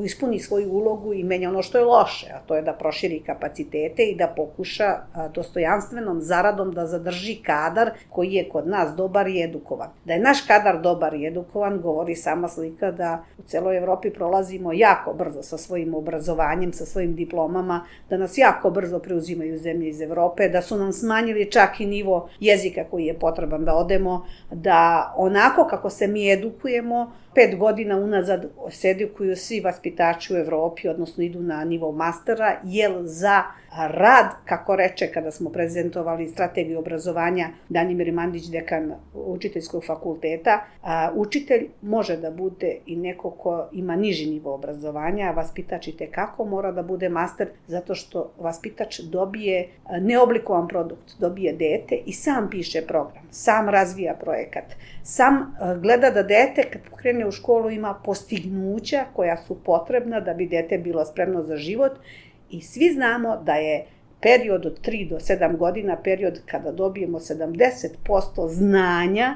ispuni svoju ulogu i menja ono što je loše, a to je da proširi kapacitete i da pokuša dostojanstvenom zaradom da zadrži kadar koji je kod nas dobar i edukovan. Da je naš kadar dobar i edukovan govori sama slika da u celoj Evropi prolazimo jako brzo sa svojim obrazovanjem, sa svojim diplomama, da nas jako brzo preuzimaju zemlje iz Evrope, da su nam smanjili čak i nivo jezika koji je potreban da odemo, da onako kako se mi edukujemo, pet godina unazad se edukuju svi vaspitači u Evropi, odnosno idu na nivo mastera, jer za rad, kako reče kada smo prezentovali strategiju obrazovanja Danimir Mandić, dekan učiteljskog fakulteta, učitelj može da bude i neko ko ima niži nivo obrazovanja, a vaspitač i tekako mora da bude master, zato što vaspitač dobije neoblikovan produkt, dobije dete i sam piše program, sam razvija projekat, sam gleda da dete kad krene u školu ima postignuća koja su potrebna da bi dete bilo spremno za život. I svi znamo da je period od tri do sedam godina period kada dobijemo sedamdeset posto znanja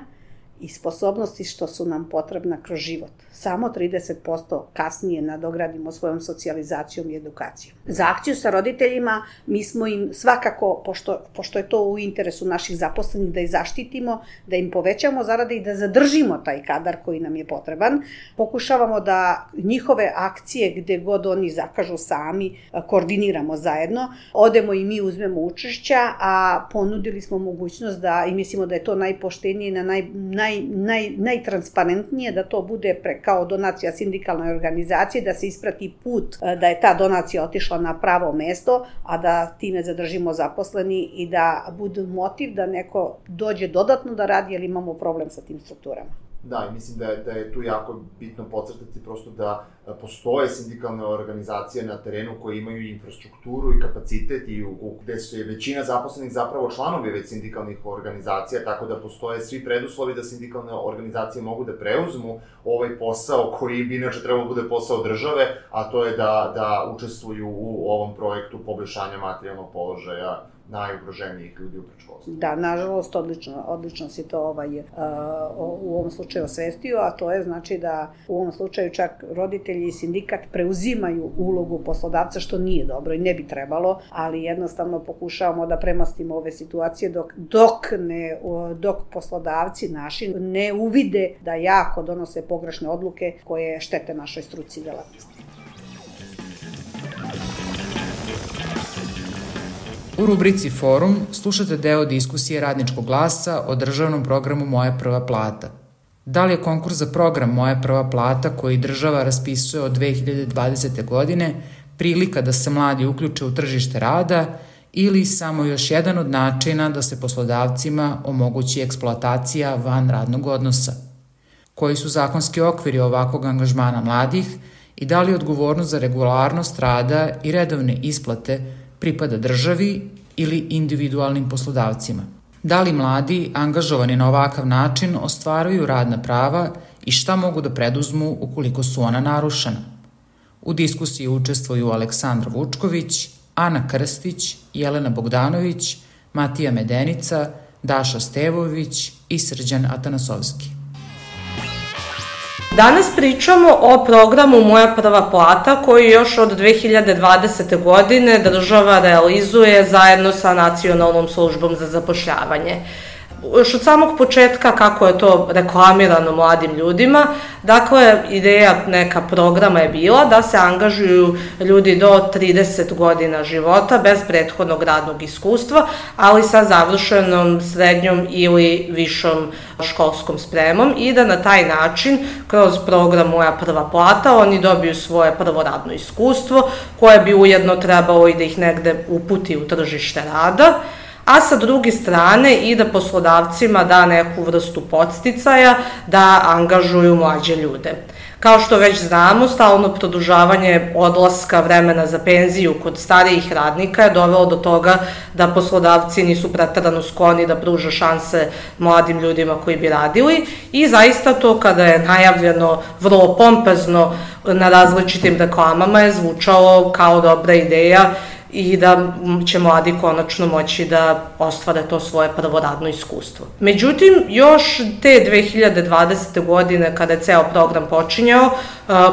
i sposobnosti što su nam potrebna kroz život. Samo trideset posto kasnije nadogradimo svojom socijalizacijom i edukacijom. Za akciju sa roditeljima mi smo im svakako, pošto, pošto je to u interesu naših zaposlenih, da ih zaštitimo, da im povećamo zarade i da zadržimo taj kadar koji nam je potreban. Pokušavamo da njihove akcije gde god oni zakažu sami, koordiniramo zajedno. Odemo i mi uzmemo učešća, a ponudili smo mogućnost da, i mislimo da je to najpoštenije i na naj, naj, naj, najtransparentnije, da to bude pre, kao donacija sindikalnoj organizaciji, da se isprati put da je ta donacija otišla na pravo mesto, a da time zadržimo zaposleni i da bude motiv da neko dođe dodatno da radi, jer imamo problem sa tim strukturama. Da, i mislim da je, da je tu jako bitno podcrtati prosto da postoje sindikalne organizacije na terenu koje imaju infrastrukturu i kapacitet i u, gde su je većina zaposlenih zapravo članovi već sindikalnih organizacija, tako da postoje svi preduslovi da sindikalne organizacije mogu da preuzmu ovaj posao koji bi inače trebalo da bude posao države, a to je da, da učestvuju u ovom projektu poboljšanja materijalnog položaja najugroženijih ljudi u predškolstvu. Da, nažalost, odlično, odlično si to ovaj, uh, u ovom slučaju osvestio, a to je znači da u ovom slučaju čak roditelji i sindikat preuzimaju ulogu poslodavca, što nije dobro i ne bi trebalo, ali jednostavno pokušavamo da premostimo ove situacije dok, dok, ne, dok poslodavci naši ne uvide da jako donose pogrešne odluke koje štete našoj struci delatnosti. U rubrici Forum slušate deo diskusije Radničkog glasa o državnom programu Moja prva plata. Da li je konkurs za program Moja prva plata koji država raspisuje od dve hiljade dvadesete. godine prilika da se mladi uključe u tržište rada ili samo još jedan od načina da se poslodavcima omogući eksploatacija van radnog odnosa? Koji su zakonski okviri ovakvog angažmana mladih i da li odgovornost za regularnost rada i redovne isplate pripada državi ili individualnim poslodavcima? Da li mladi, angažovani na ovakav način, ostvaruju radna prava i šta mogu da preduzmu ukoliko su ona narušena? U diskusiji učestvuju Aleksandra Vučković, Ana Krstić, Jelena Bogdanović, Matija Medenica, Daša Stevović i Srđan Atanasovski. Danas pričamo o programu Moja prva plata koji još od dve hiljade dvadesete. godine država realizuje zajedno sa Nacionalnom službom za zapošljavanje. Još od samog početka kako je to reklamirano mladim ljudima, dakle ideja neka programa je bila da se angažuju ljudi do trideset godina života bez prethodnog radnog iskustva, ali sa završenom srednjom ili višom školskom spremom i da na taj način kroz program Moja prva plata oni dobiju svoje prvo radno iskustvo koje bi ujedno trebalo i da ih negde uputi u tržište rada, a sa druge strane i da poslodavcima da neku vrstu podsticaja da angažuju mlađe ljude. Kao što već znamo, stalno produžavanje odlaska vremena za penziju kod starijih radnika je dovelo do toga da poslodavci nisu preterano skloni da pruža šanse mladim ljudima koji bi radili i zaista to kada je najavljeno vrlo pompezno na različitim reklamama je zvučalo kao dobra ideja i da će mladi konačno moći da ostvare to svoje prvo radno iskustvo. Međutim, još te dve hiljade dvadesete. godine, kada je ceo program počinjao,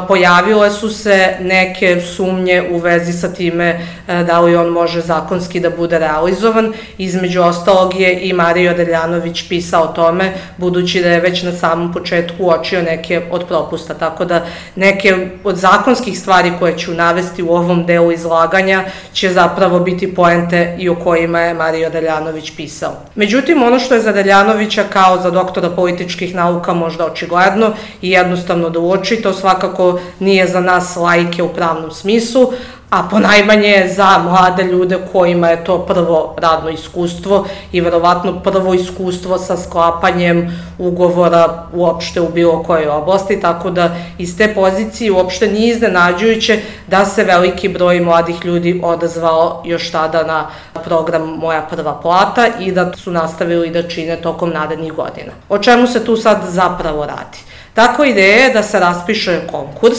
pojavile su se neke sumnje u vezi sa time da li on može zakonski da bude realizovan. Između ostalog je i Mario Deljanović pisao o tome, budući da je već na samom početku uočio neke od propusta, tako da neke od zakonskih stvari koje ću navesti u ovom delu izlaganja će zapravo biti poente i o kojima je Mario Deljanović pisao. Međutim, ono što je za Deljanovića kao za doktora političkih nauka možda očigledno i jednostavno da uoči, to svakako nije za nas laike u pravnom smislu, a ponajmanje za mlade ljude kojima je to prvo radno iskustvo i verovatno prvo iskustvo sa sklapanjem ugovora uopšte u bilo kojoj oblasti, tako da iz te pozicije uopšte nije iznenađujuće da se veliki broj mladih ljudi odazvao još tada na program Moja prva plata i da su nastavili da čine tokom narednih godina. O čemu se tu sad zapravo radi? Tako ideja je da se raspiše konkurs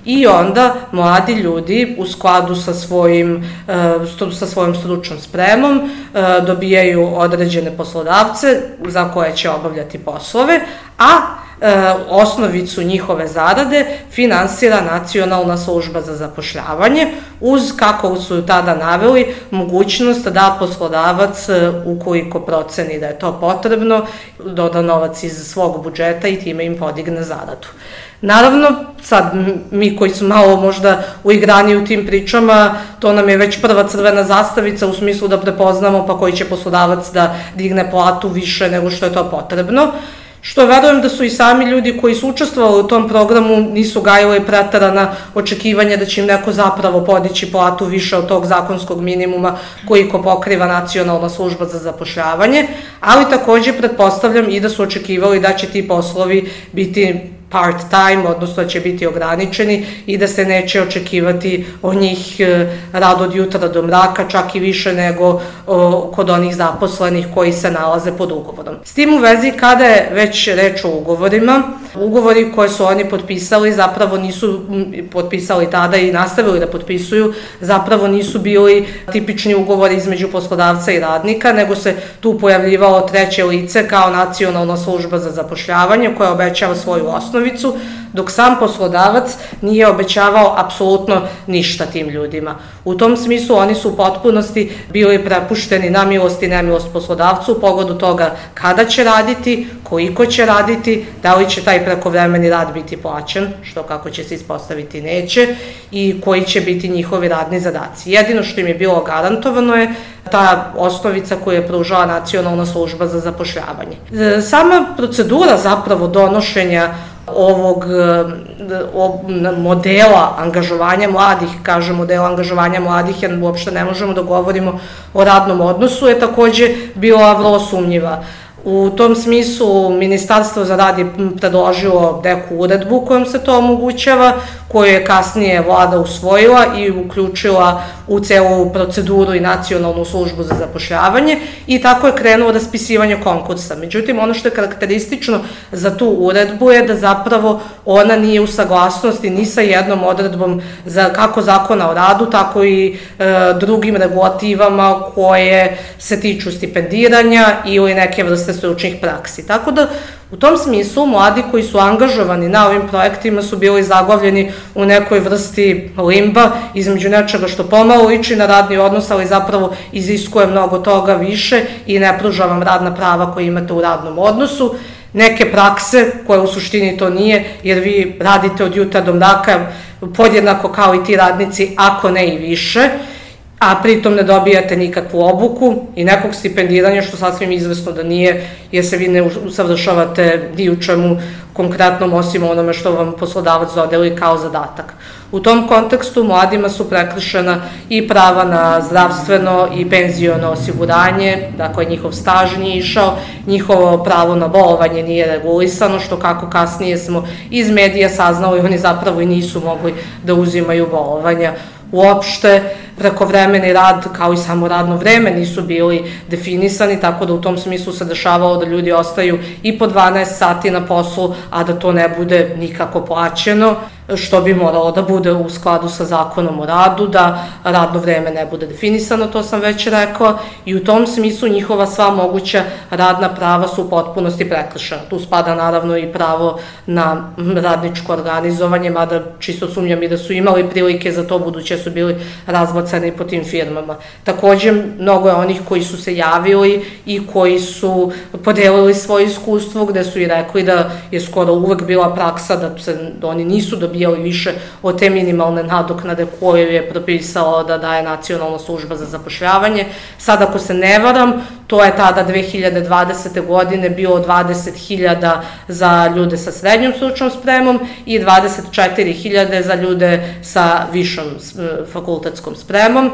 i onda mladi ljudi u skladu sa, svojim, sa svojom stručnom spremom dobijaju određene poslodavce za koje će obavljati poslove, a osnovicu njihove zarade finansira Nacionalna služba za zapošljavanje uz, kako su tada naveli, mogućnost da poslodavac, ukoliko proceni da je to potrebno, doda novac iz svog budžeta i time im podigne zaradu. Naravno, sad mi koji smo malo možda uigrani u tim pričama, to nam je već prva crvena zastavica u smislu da prepoznamo pa koji će poslodavac da digne platu više nego što je to potrebno. Što verujem da su i sami ljudi koji su učestvovali u tom programu nisu gajili preterana očekivanja da će im neko zapravo podići platu više od tog zakonskog minimuma koliko pokriva Nacionalna služba za zapošljavanje, ali takođe pretpostavljam i da su očekivali da će ti poslovi biti part-time, odnosno da će biti ograničeni i da se neće očekivati od njih rad od jutra do mraka, čak i više nego o, kod onih zaposlenih koji se nalaze pod ugovorom. S tim u vezi, kada je već reč o ugovorima, Ugovori koje su oni potpisali zapravo nisu potpisali tada i nastavili da potpisuju, zapravo nisu bili tipični ugovori između poslodavca i radnika, nego se tu pojavljivalo treće lice kao Nacionalna služba za zapošljavanje koja obećava svoju osnovicu, dok sam poslodavac nije obećavao apsolutno ništa tim ljudima. U tom smislu oni su u potpunosti bili prepušteni na milost i nemilost poslodavcu u pogledu toga kada će raditi, koliko će raditi, da li će taj prekovremeni rad biti plaćen, što kako će se ispostaviti neće, i koji će biti njihovi radni zadaci. Jedino što im je bilo garantovano je ta osnovica koju je pružala Nacionalna služba za zapošljavanje. Sama procedura zapravo donošenja ovog modela angažovanja mladih, kažem modela angažovanja mladih, jer uopšte ne možemo da govorimo o radnom odnosu, je takođe bila vrlo sumnjiva. U tom smislu Ministarstvo za rad je predložilo neku uredbu kojom se to omogućava, koju je kasnije vlada usvojila i uključila u celu proceduru i Nacionalnu službu za zapošljavanje i tako je krenulo raspisivanje konkursa. Međutim, ono što je karakteristično za tu uredbu je da zapravo ona nije u saglasnosti ni sa jednom odredbom za kako Zakona o radu, tako i e, drugim regulativama koje se tiču stipendiranja ili neke vrste stručnih praksi. Tako da u tom smislu mladi koji su angažovani na ovim projektima su bili zaglavljeni u nekoj vrsti limba između nečega što pomalo liči na radni odnos, ali zapravo iziskuje mnogo toga više i ne pruža vam radna prava koje imate u radnom odnosu. Neke prakse koje u suštini to nije, jer vi radite od jutra do mraka podjednako kao i ti radnici, ako ne i više, a pritom ne dobijate nikakvu obuku i nekog stipendiranja, što sasvim izvesno da nije, jer se vi ne usavršavate ni u čemu konkretnom osim onome što vam poslodavac dodeli kao zadatak. U tom kontekstu mladima su prekršena i prava na zdravstveno i penziono osiguranje, dakle njihov staž nije išao, njihovo pravo na bolovanje nije regulisano, što kako kasnije smo iz medija saznali, oni zapravo i nisu mogli da uzimaju bolovanja. Uopšte, prekovremeni rad kao i samo radno vreme nisu bili definisani, tako da u tom smislu se dešavalo da ljudi ostaju i po dvanaest sati na poslu, a da to ne bude nikako plaćeno, što bi moralo da bude u skladu sa Zakonom o radu, da radno vreme ne bude definisano, to sam već rekla, i u tom smislu njihova sva moguća radna prava su u potpunosti prekršena. Tu spada naravno i pravo na radničko organizovanje, mada čisto sumnjam i da su imali prilike za to, buduće su bili razbacani po tim firmama. Takođe, mnogo je onih koji su se javili i koji su podelili svoje iskustvo, gde su i rekli da je skoro uvek bila praksa da se oni nisu dobijali više od te minimalne nadoknade koju je propisala da daje Nacionalna služba za zapošljavanje. Sad, ako se ne varam, to je tada dve hiljade dvadesete godine bilo dvadeset hiljada za ljude sa srednjom stručnom spremom i dvadeset četiri hiljade za ljude sa višom fakultetskom spremom.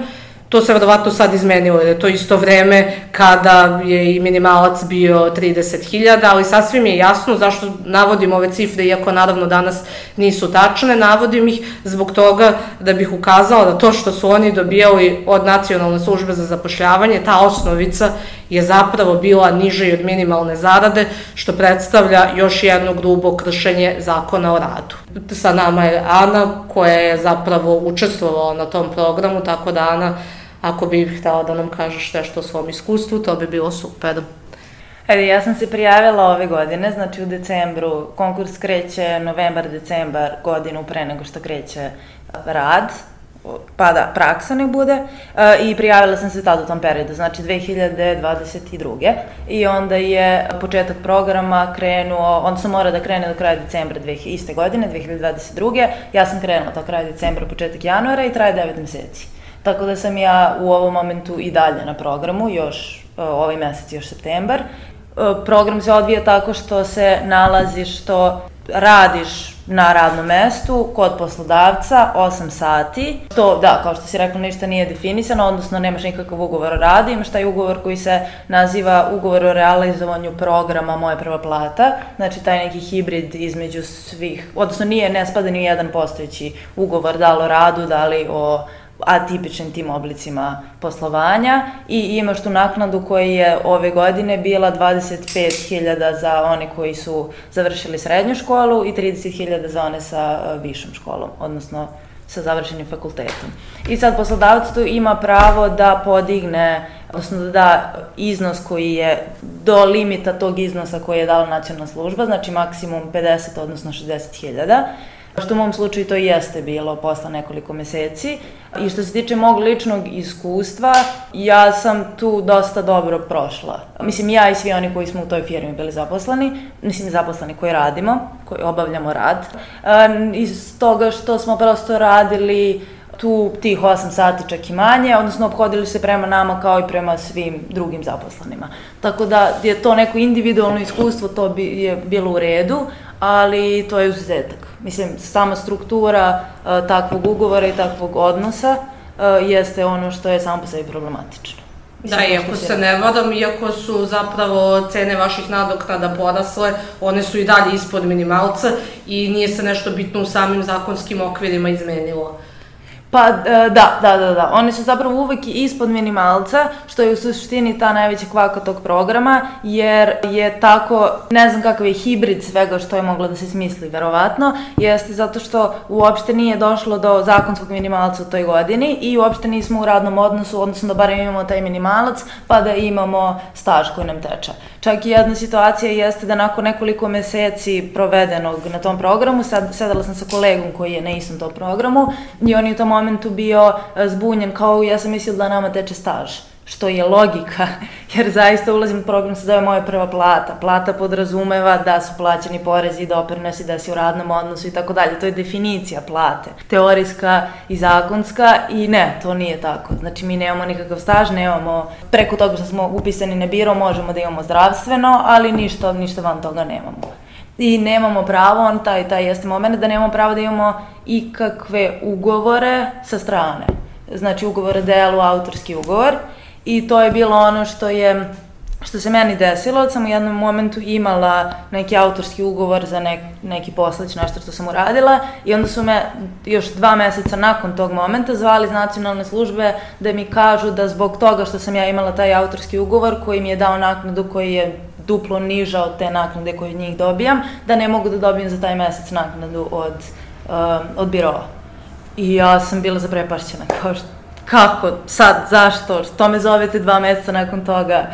To se verovatno sad izmenilo, jer je to isto vreme kada je i minimalac bio trideset hiljada, ali sasvim je jasno zašto navodim ove cifre, iako naravno danas nisu tačne, navodim ih zbog toga da bih ukazala da to što su oni dobijali od Nacionalne službe za zapošljavanje, ta osnovica je zapravo bila niža i od minimalne zarade, što predstavlja još jedno grubo kršenje Zakona o radu. Sa nama je Ana, koja je zapravo učestvovala na tom programu, tako da Ana, ako bih htela da nam kažeš nešto o svom iskustvu, to bi bilo super. Ajde, ja sam se prijavila ove godine, znači u decembru, konkurs kreće novembar, decembar, godinu pre nego što kreće rad, pa da, praksa nek bude, i prijavila sam se tada u tom periodu, znači dve hiljade dvadeset druge i onda je početak programa krenuo, onda sam mora da krene do kraja decembra iste godine, dve hiljade dvadeset druge ja sam krenula to kraj decembra, početak januara i traje devet meseci. Tako da sam ja u ovom momentu i dalje na programu, još ovaj mesec, još septembar. Program se odvija tako što se nalazi, što radiš na radnom mestu kod poslodavca osam sati. To, da, kao što si rekla, ništa nije definisano, odnosno nemaš nikakav ugovor o radu, imaš taj ugovor koji se naziva ugovor o realizovanju programa Moja prva plata, znači taj neki hibrid između svih, odnosno nije, ne spada ni jedan postojeći ugovor, da li o radu, da li o atipičnim tim oblicima poslovanja i imaš tu naknadu koja je ove godine bila dvadeset pet hiljada za one koji su završili srednju školu i trideset hiljada za one sa višom školom, odnosno sa završenim fakultetom. I sad poslodavac tu ima pravo da podigne, odnosno da da iznos koji je do limita tog iznosa koji je dala nacionalna služba, znači maksimum pedeset, odnosno šezdeset hiljada, što u mom slučaju to i jeste bilo posle nekoliko meseci. I što se tiče mog ličnog iskustva, ja sam tu dosta dobro prošla. Mislim, ja i svi oni koji smo u toj firmi bili zaposleni, mislim zaposleni koji radimo, koji obavljamo rad, iz toga što smo prosto radili tu tih osam sati čak i manje, odnosno obhodili se prema nama kao i prema svim drugim zaposlenima. Tako da je to neko individualno iskustvo, to bi je bilo u redu, ali to je izuzetak. Mislim, sama struktura uh, takvog ugovora i takvog odnosa uh, jeste ono što je samo po sebi problematično. Da, iako se ne vadam, iako su zapravo cene vaših nadoknada porasle, one su i dalje ispod minimalca i nije se nešto bitno u samim zakonskim okvirima izmenilo. Pa da, da, da, da. Oni su zapravo uvek ispod minimalca, što je u suštini ta najveća kvaka tog programa, jer je tako, ne znam kakav je hibrid svega što je moglo da se smisli, verovatno, jeste zato što uopšte nije došlo do zakonskog minimalca u toj godini i uopšte nismo u radnom odnosu, odnosno da barem imamo taj minimalac, pa da imamo staž koji nam teče. Čak i jedna situacija jeste da nakon nekoliko meseci provedenog na tom programu, sad, sedala sam sa kolegom koji je na istom tom programu i on je u tom momentu bio zbunjen kao ja sam mislila da nama teče staž, što je logika, jer zaista ulazim u program, se zove moja prva plata. Plata podrazumeva da su plaćeni porezi i doprinosi, da si u radnom odnosu i tako dalje. To je definicija plate, teorijska i zakonska i ne, to nije tako. Znači mi nemamo nikakav staž, nemamo, preko toga što smo upisani na biro možemo da imamo zdravstveno, ali ništa, ništa van toga nemamo. I nemamo pravo, on taj, taj jeste moment da nemamo pravo da imamo ikakve ugovore sa strane. Znači ugovor o delu, autorski ugovor. I to je bilo ono što je, što se meni desilo, sam u jednom momentu imala neki autorski ugovor za nek, neki poslać, nešto što sam uradila i onda su me još dva meseca nakon tog momenta zvali iz nacionalne službe da mi kažu da zbog toga što sam ja imala taj autorski ugovor koji mi je dao naknadu koji je duplo niža od te naknade koje od njih dobijam, da ne mogu da dobijem za taj mesec naknadu od, uh, od biroa. I ja sam bila zaprepašćena, kao što, kako, sad, zašto, što me zovete dva meseca nakon toga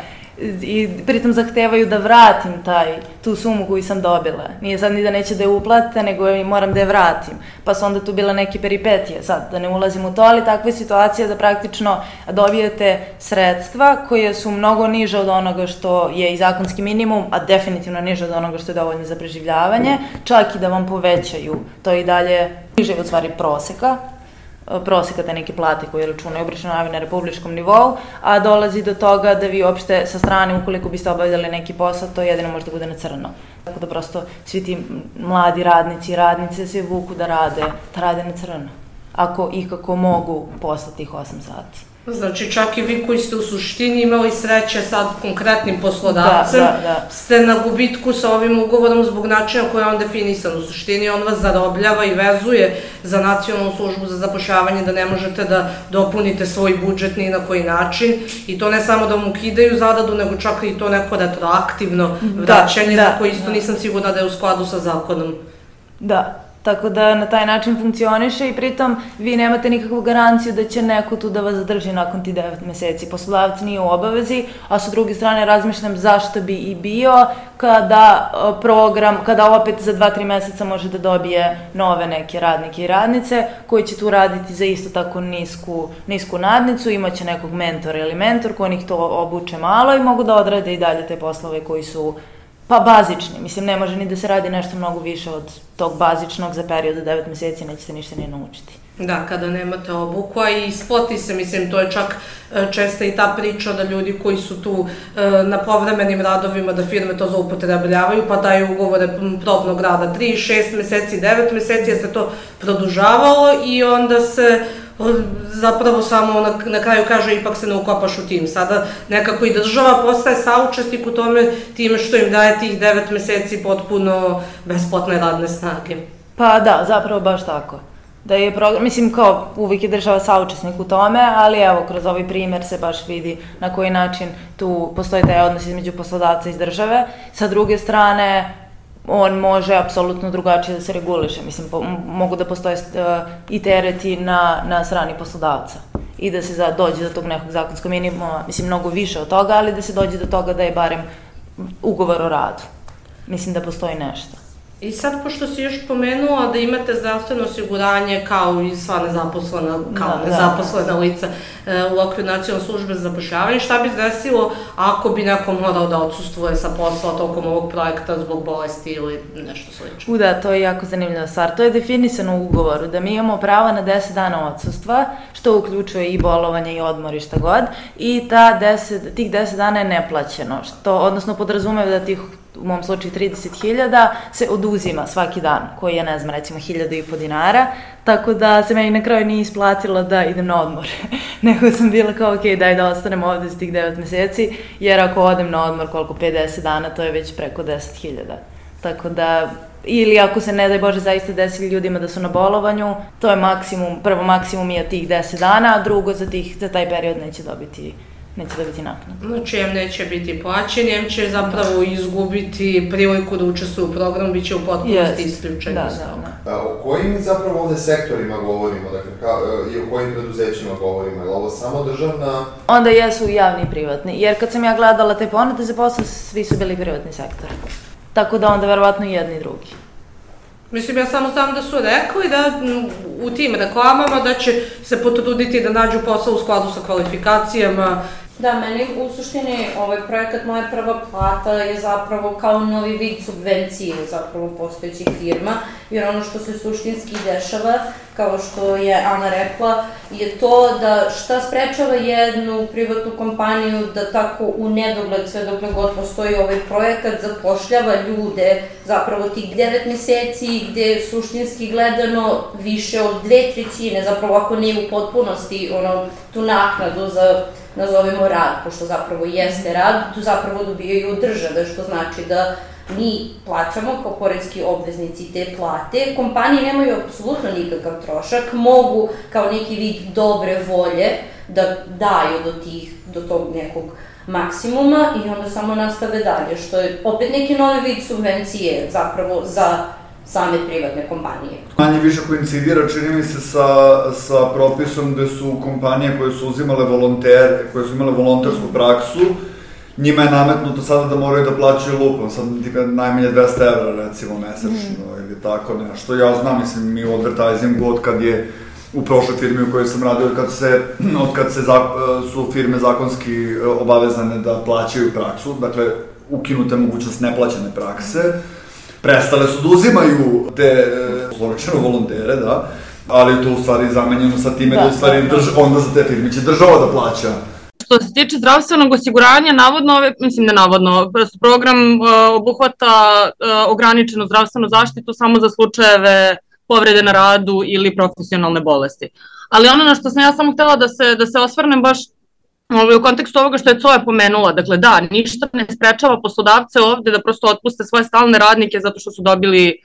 i pritom zahtevaju da vratim taj, tu sumu koju sam dobila. Nije sad ni da neće da je uplate, nego moram da je vratim. Pa su onda tu bila neke peripetije, sad da ne ulazim u to, ali takva je situacija da praktično dobijete sredstva koje su mnogo niže od onoga što je i zakonski minimum, a definitivno niže od onoga što je dovoljno za preživljavanje, čak i da vam povećaju, to je i dalje niže od stvari proseka, proseka te neke plate koje računaju obračunavaju na republičkom nivou, a dolazi do toga da vi uopšte sa strane, ukoliko biste obavljali neki posao, to jedino može da bude na crno. Tako da prosto svi ti mladi radnici i radnice se vuku da rade, da rade na crno, ako ikako mogu posle tih osam sati. Znači čak i vi koji ste u suštini imali sreće sad konkretnim poslodavcem, da, da, da. ste na gubitku sa ovim ugovorom zbog načina koji je on definisan. U suštini on vas zarobljava i vezuje za nacionalnu službu za zapošljavanje da ne možete da dopunite svoj budžet ni na koji način i to ne samo da vam ukidaju zaradu, nego čak i to neko retroaktivno vraćanje da, da, za koje isto da. nisam sigurna da je u skladu sa zakonom. Da. Tako da na taj način funkcioniše i pritom vi nemate nikakvu garanciju da će neko tu da vas zadrži nakon ti devet meseci. Poslodavac nije u obavezi, a sa druge strane razmišljam zašto bi i bio kada program, kada opet za dva tri meseca može da dobije nove neke radnike i radnice koji će tu raditi za isto tako nisku, nisku nadnicu, imaće nekog mentora ili mentor koji ih to obuče malo i mogu da odrade i dalje te poslove koji su pa bazični, mislim, ne može ni da se radi nešto mnogo više od tog bazičnog za period od devet meseci, nećete ništa ni naučiti. Da, kada nemate obuku, a i isplati se, mislim, to je čak česta i ta priča da ljudi koji su tu na povremenim radovima, da firme to zloupotrebljavaju, pa daju ugovore probnog rada tri, šest meseci, devet meseci, jer se to produžavalo i onda se zapravo samo na, na kraju kaže ipak se ne ukopaš u tim. Sada nekako i država postaje saučesnik u tome time što im daje tih devet meseci potpuno besplatne radne snage. Pa da, zapravo baš tako. da je program, mislim kao uvijek je država saučesnik u tome, ali evo kroz ovaj primer se baš vidi na koji način tu postoji taj odnos između poslodavca i države. Sa druge strane, on može apsolutno drugačije da se reguliše. Mislim, po, mogu da postoje uh, i tereti na, na strani poslodavca i da se za, dođe do tog nekog zakonskog minimuma, mislim, mnogo više od toga, ali da se dođe do toga da je barem ugovor o radu. Mislim da postoji nešto. I sad, pošto si još pomenula da imate zdravstveno osiguranje kao i sva nezaposlena, kao da, nezaposlena da. lica e, u okviru nacionalne službe za zapošljavanje, šta bi se desilo ako bi neko morao da odsustvuje sa posla tokom ovog projekta zbog bolesti ili nešto slično? U da, to je jako zanimljiva stvar. To je definisano u ugovoru, da mi imamo pravo na deset dana odsustva, što uključuje i bolovanje i odmor i šta god, i ta deset, tih deset dana je neplaćeno, što odnosno podrazumeva da tih u mom slučaju trideset hiljada, se oduzima svaki dan, koji je, ne znam, recimo hiljadu i po dinara, tako da se meni na kraju nije isplatilo da idem na odmor. Nego sam bila kao, ok, daj da ostanem ovde za tih devet meseci, jer ako odem na odmor koliko pedeset dana, to je već preko deset hiljada. Tako da, ili ako se ne daj Bože zaista desi ljudima da su na bolovanju, to je maksimum, prvo maksimum je tih deset dana, a drugo za, tih, za taj period neće dobiti neće dobiti naknadu. Znači, em neće biti plaćen, em će zapravo izgubiti priliku da učestvuje u programu, bit će u potpunosti yes. isključeni. Da, da, da. O kojim zapravo ovde sektorima govorimo, dakle, ka, i o kojim preduzećima govorimo? Je li ovo samo državna? Onda jesu javni i privatni, jer kad sam ja gledala te ponude za posao, svi su bili privatni sektor. Tako da onda verovatno i jedni i drugi. Mislim, ja samo znam da su rekli da u tim reklamama da će se potruditi da nađu posao u skladu sa kvalifikacijama. Da, meni u suštini ovaj projekat Moja prva plata je zapravo kao novi vid subvencije zapravo postojećih firma, jer ono što se suštinski dešava, kao što je Ana rekla, je to da šta sprečava jednu privatnu kompaniju da tako u nedogled, sve dokle god postoji ovaj projekat, zapošljava ljude zapravo tih devet meseci gde suštinski gledano više od dve trećine, zapravo ako ne u potpunosti, ono, tu naknadu za nazovemo rad, pošto zapravo jeste rad, tu zapravo dobijaju od države, što znači da mi plaćamo kao poreski obveznici te plate, kompanije nemaju apsolutno nikakav trošak, mogu kao neki vid dobre volje da daju do tih, do tog nekog maksimuma i onda samo nastave dalje, što je opet neki novi vid subvencije zapravo za same privatne kompanije. Manje više koincidira, čini mi se, sa, sa propisom gde su kompanije koje su uzimale volontere, koje su imale volontersku praksu, njima je nametnuto sada da moraju da plaćaju lupom, sad najmanje dvesta evra recimo mesečno mm. ili tako nešto. Ja znam, mislim, mi u advertisingu od kad je u prošloj firmi u kojoj sam radio, od kad, se, od kad se za, su firme zakonski obavezane da plaćaju praksu, dakle ukinuta mogućnost neplaćene prakse, prestale su da uzimaju te zločeno volontere, da, ali to u stvari zamenjeno sa time da, da u stvari da, drž, onda za te firme će država da plaća. Što se tiče zdravstvenog osiguranja, navodno, ove, mislim ne navodno, program uh, obuhvata uh, ograničenu zdravstvenu zaštitu samo za slučajeve povrede na radu ili profesionalne bolesti. Ali ono na što sam ja samo htela da se, da se osvrnem baš u kontekstu ovoga što je C O E pomenula, dakle da, ništa ne sprečava poslodavce ovde da prosto otpuste svoje stalne radnike zato što su dobili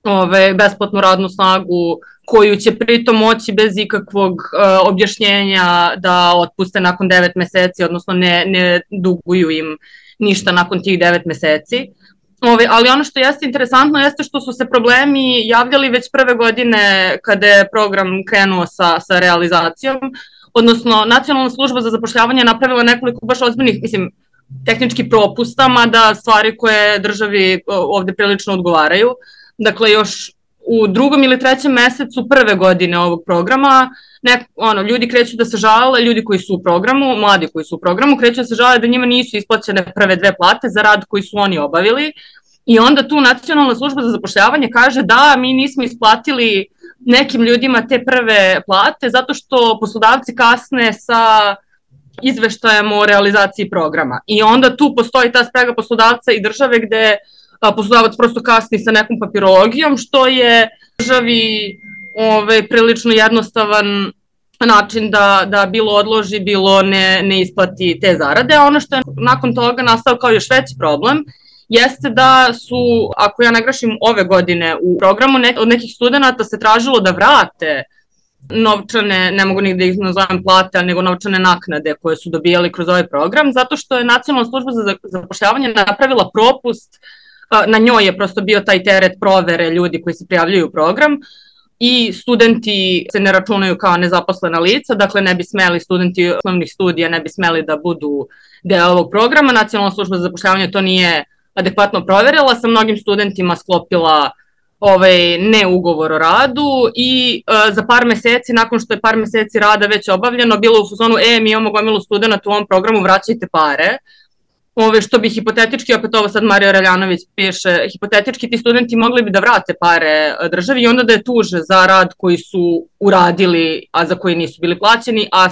ove, besplatnu radnu snagu koju će pritom moći bez ikakvog uh, objašnjenja da otpuste nakon devet meseci, odnosno ne, ne duguju im ništa nakon tih devet meseci. Ove, ali ono što jeste interesantno jeste što su se problemi javljali već prve godine kada je program krenuo sa, sa realizacijom, odnosno Nacionalna služba za zapošljavanje je napravila nekoliko baš ozbiljnih, mislim, tehničkih propusta, mada stvari koje državi ovde prilično odgovaraju. Dakle, još u drugom ili trećem mesecu prve godine ovog programa, nek, ono, ljudi kreću da se žale, ljudi koji su u programu, mladi koji su u programu, kreću da se žale da njima nisu isplaćene prve dve plate za rad koji su oni obavili. I onda tu Nacionalna služba za zapošljavanje kaže da mi nismo isplatili nekim ljudima te prve plate zato što poslodavci kasne sa izveštajem o realizaciji programa. I onda tu postoji ta sprega poslodavca i države gde poslodavac prosto kasni sa nekom papirologijom, što je državi ove, prilično jednostavan način da, da bilo odloži, bilo ne, ne isplati te zarade. A ono što je nakon toga nastao kao još veći problem jeste da su, ako ja ne grešim, ove godine u programu ne, od nekih studenta se tražilo da vrate novčane, ne mogu ni da ih nazovem plate, nego novčane naknade koje su dobijali kroz ovaj program, zato što je Nacionalna služba za zapošljavanje napravila propust, na njoj je prosto bio taj teret provere ljudi koji se prijavljaju u program i studenti se ne računaju kao nezaposlena lica, dakle ne bi smeli, studenti osnovnih studija ne bi smeli da budu deo ovog programa. Nacionalna služba za zapošljavanje to nije adekvatno proverila, sa mnogim studentima sklopila ovaj, ne ugovor o radu i e, za par meseci, nakon što je par meseci rada već obavljeno, bilo u fazonu, e, mi imamo gomilu studenta u ovom programu, vraćajte pare. Ove, što bi hipotetički, opet ovo sad Mario Raljanović piše, hipotetički ti studenti mogli bi da vrate pare državi i onda da je tuže za rad koji su uradili, a za koji nisu bili plaćeni, a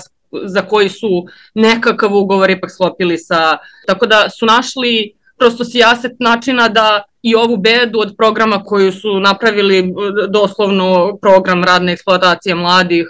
za koji su nekakav ugovor ipak sklopili sa... Tako da su našli prosto sijaset načina da i ovu bedu od programa koju su napravili, doslovno program radne eksploatacije mladih,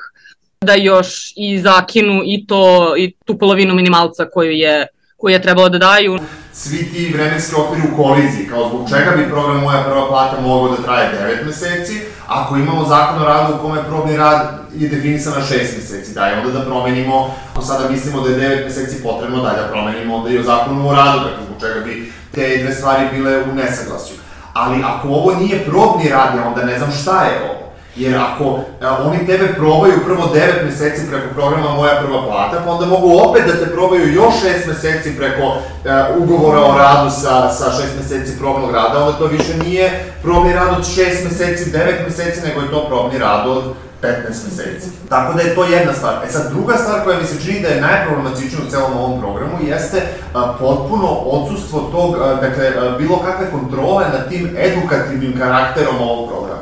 da još i zakinu i to i tu polovinu minimalca koju je koje je trebalo da daju. Svi ti vremenski okviri u koliziji, kao zbog čega bi program Moja prva plata mogao da traje devet meseci, ako imamo zakon o radu u kome probni rad je definisan na šest meseci, daj onda da promenimo, ako sada mislimo da je devet meseci potrebno, daj da promenimo onda i o zakonu o radu, dakle zbog čega bi te dve stvari bile u nesaglasju. Ali ako ovo nije probni rad, ja onda ne znam šta je ovo. Jer ako a, oni tebe probaju prvo devet meseci preko programa Moja prva plata, pa onda mogu opet da te probaju još šest meseci preko a, ugovora o radu sa, sa šest meseci probnog rada, onda to više nije probni rad od šest meseci, devet meseci, nego je to probni rad od petnaest meseci. Tako da je to jedna stvar. E sad, druga stvar koja mi se čini da je najproblematičnija u celom ovom programu jeste a, potpuno odsustvo tog, a, dakle, a, bilo kakve kontrole nad tim edukativnim karakterom ovog programa.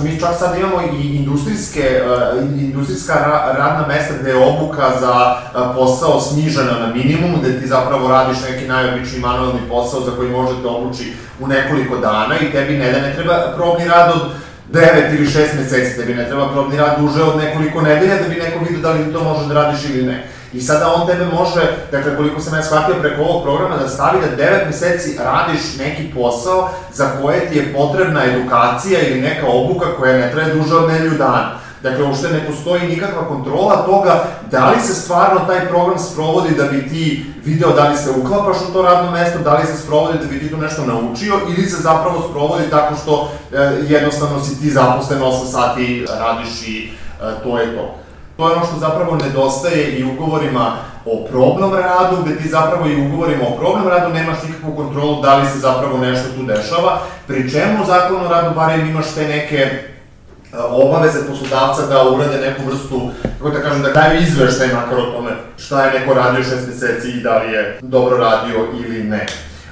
Mi čak sad imamo i industrijske, industrijska radna mesta gde je obuka za posao snižena na minimum, gde ti zapravo radiš neki najobičniji manualni posao za koji može te obuči u nekoliko dana i tebi ne da ne treba probni rad od devet ili šest meseci, tebi ne treba probni rad duže od nekoliko nedelja da bi neko vidio da li ti to može da radiš ili ne. I sada on tebe može, dakle koliko sam ja shvatio preko ovog programa, da stavi da devet meseci radiš neki posao za koje ti je potrebna edukacija ili neka obuka koja ne traje duže od nedelju dana. Dakle, uopšte ne postoji nikakva kontrola toga da li se stvarno taj program sprovodi da bi ti video da li se uklapaš u to radno mesto, da li se sprovodi da bi ti to nešto naučio ili se zapravo sprovodi tako što e, jednostavno si ti zaposlen osam sati, radiš i e, to je to. To je ono što zapravo nedostaje i ugovorima o probnom radu, gde ti zapravo i ugovorima o probnom radu nemaš nikakvu kontrolu da li se zapravo nešto tu dešava, pri čemu u zakonu o radu barem imaš te neke obaveze poslodavca da urade neku vrstu, kako da kažem, da daju izveštaj makar o tome šta je neko radio šest meseci i da li je dobro radio ili ne.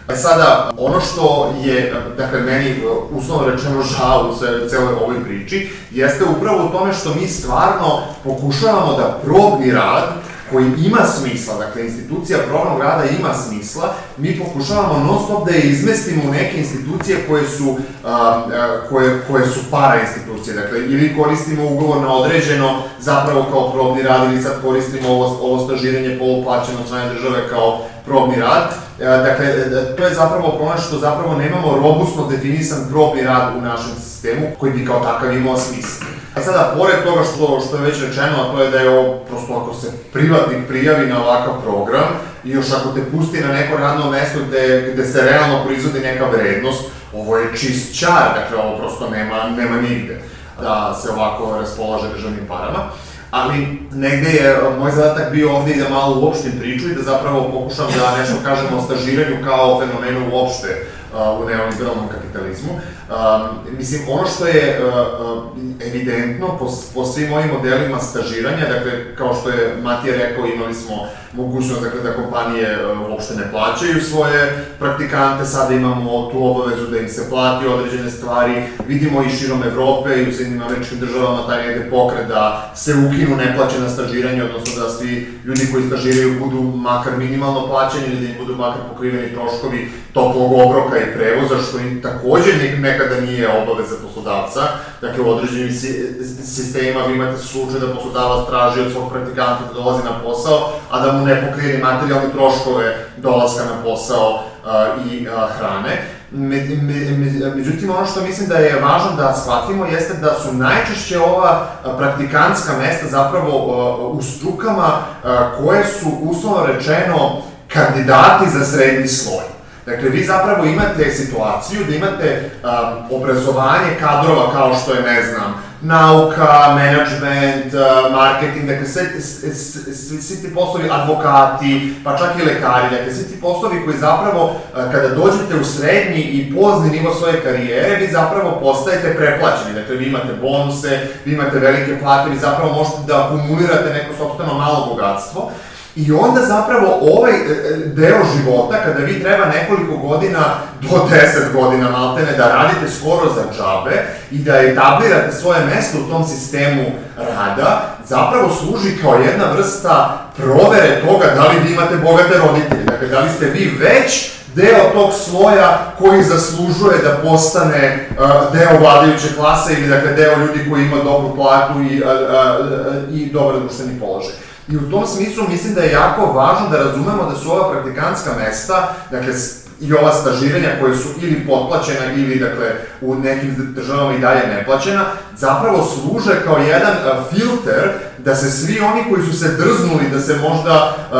E sada, ono što je, dakle, meni uslovno rečeno žao u celoj ovoj priči, jeste upravo u tome što mi stvarno pokušavamo da probni rad koji ima smisla, dakle, institucija probnog rada ima smisla, mi pokušavamo non stop da je izmestimo u neke institucije koje su, a, koje, koje su para institucije, dakle, ili koristimo ugovor na određeno zapravo kao probni rad, ili sad koristimo ovo, ovo stažiranje poluplaćeno od strane države kao probni rad. Dakle, to je zapravo problem što zapravo nemamo robustno definisan probni rad u našem sistemu koji bi kao takav imao smisla. A sada, pored toga što, što je već rečeno, a to je da je ovo, prosto ako se privatnik prijavi na ovakav program i još ako te pusti na neko radno mesto gde, gde se realno proizvodi neka vrednost, ovo je čist čar, dakle ovo prosto nema, nema nigde da se ovako raspolaže državnim parama. Ali negde je moj zadatak bio ovde i da malo uopštim priču i da zapravo pokušam da nešto kažem o stažiranju kao fenomenu uopšte uh, u neoliberalnom kapitalizmu. Um, mislim, ono što je uh, uh, evidentno po, po svim ovim modelima stažiranja, dakle, kao što je Matija rekao, imali smo mogućnost dakle, da kompanije uh, uopšte ne plaćaju svoje praktikante, sada imamo tu obavezu da im se plati određene stvari, vidimo i širom Evrope i u Sjedinjenim Američkim Državama taj negde pokret da se ukinu neplaćena stažiranja, odnosno da svi ljudi koji stažiraju budu makar minimalno plaćeni ili da im budu makar pokriveni troškovi toplog obroka i prevoza, što im takođe nekada nije obaveza poslodavca. Dakle, u određenim sistemima vi imate slučaj da poslodavac traži od svog praktikanta da dolazi na posao, a da mu ne pokrije materijalne troškove dolaska na posao i hrane. Međutim, ono što mislim da je važno da shvatimo jeste da su najčešće ova praktikantska mesta zapravo u strukama koje su, uslovno rečeno, kandidati za srednji sloj. Dakle, vi zapravo imate situaciju da imate um, obrazovanje kadrova kao što je, ne znam, nauka, menadžment, uh, marketing, dakle, svi, svi, svi ti poslovi, advokati, pa čak i lekari, dakle, svi ti poslovi koji zapravo, uh, kada dođete u srednji i pozni nivo svoje karijere, vi zapravo postajete preplaćeni, dakle, vi imate bonuse, vi imate velike plate, vi zapravo možete da akumulirate neko sopstveno malo bogatstvo. I onda zapravo ovaj deo života, kada vi treba nekoliko godina, do deset godina maltene, da radite skoro za džabe i da etablirate svoje mesto u tom sistemu rada, zapravo služi kao jedna vrsta provere toga da li vi imate bogate roditelje. Dakle, da li ste vi već deo tog sloja koji zaslužuje da postane uh, deo vladajuće klase ili dakle deo ljudi koji ima dobru platu i, uh, uh, i dobar društveni položaj. I u tom smislu mislim da je jako važno da razumemo da su ova praktikantska mesta, dakle, i ova stažiranja koje su ili potplaćena ili, dakle, u nekim državama i dalje neplaćena, zapravo služe kao jedan uh, filter da se svi oni koji su se drznuli da se možda uh,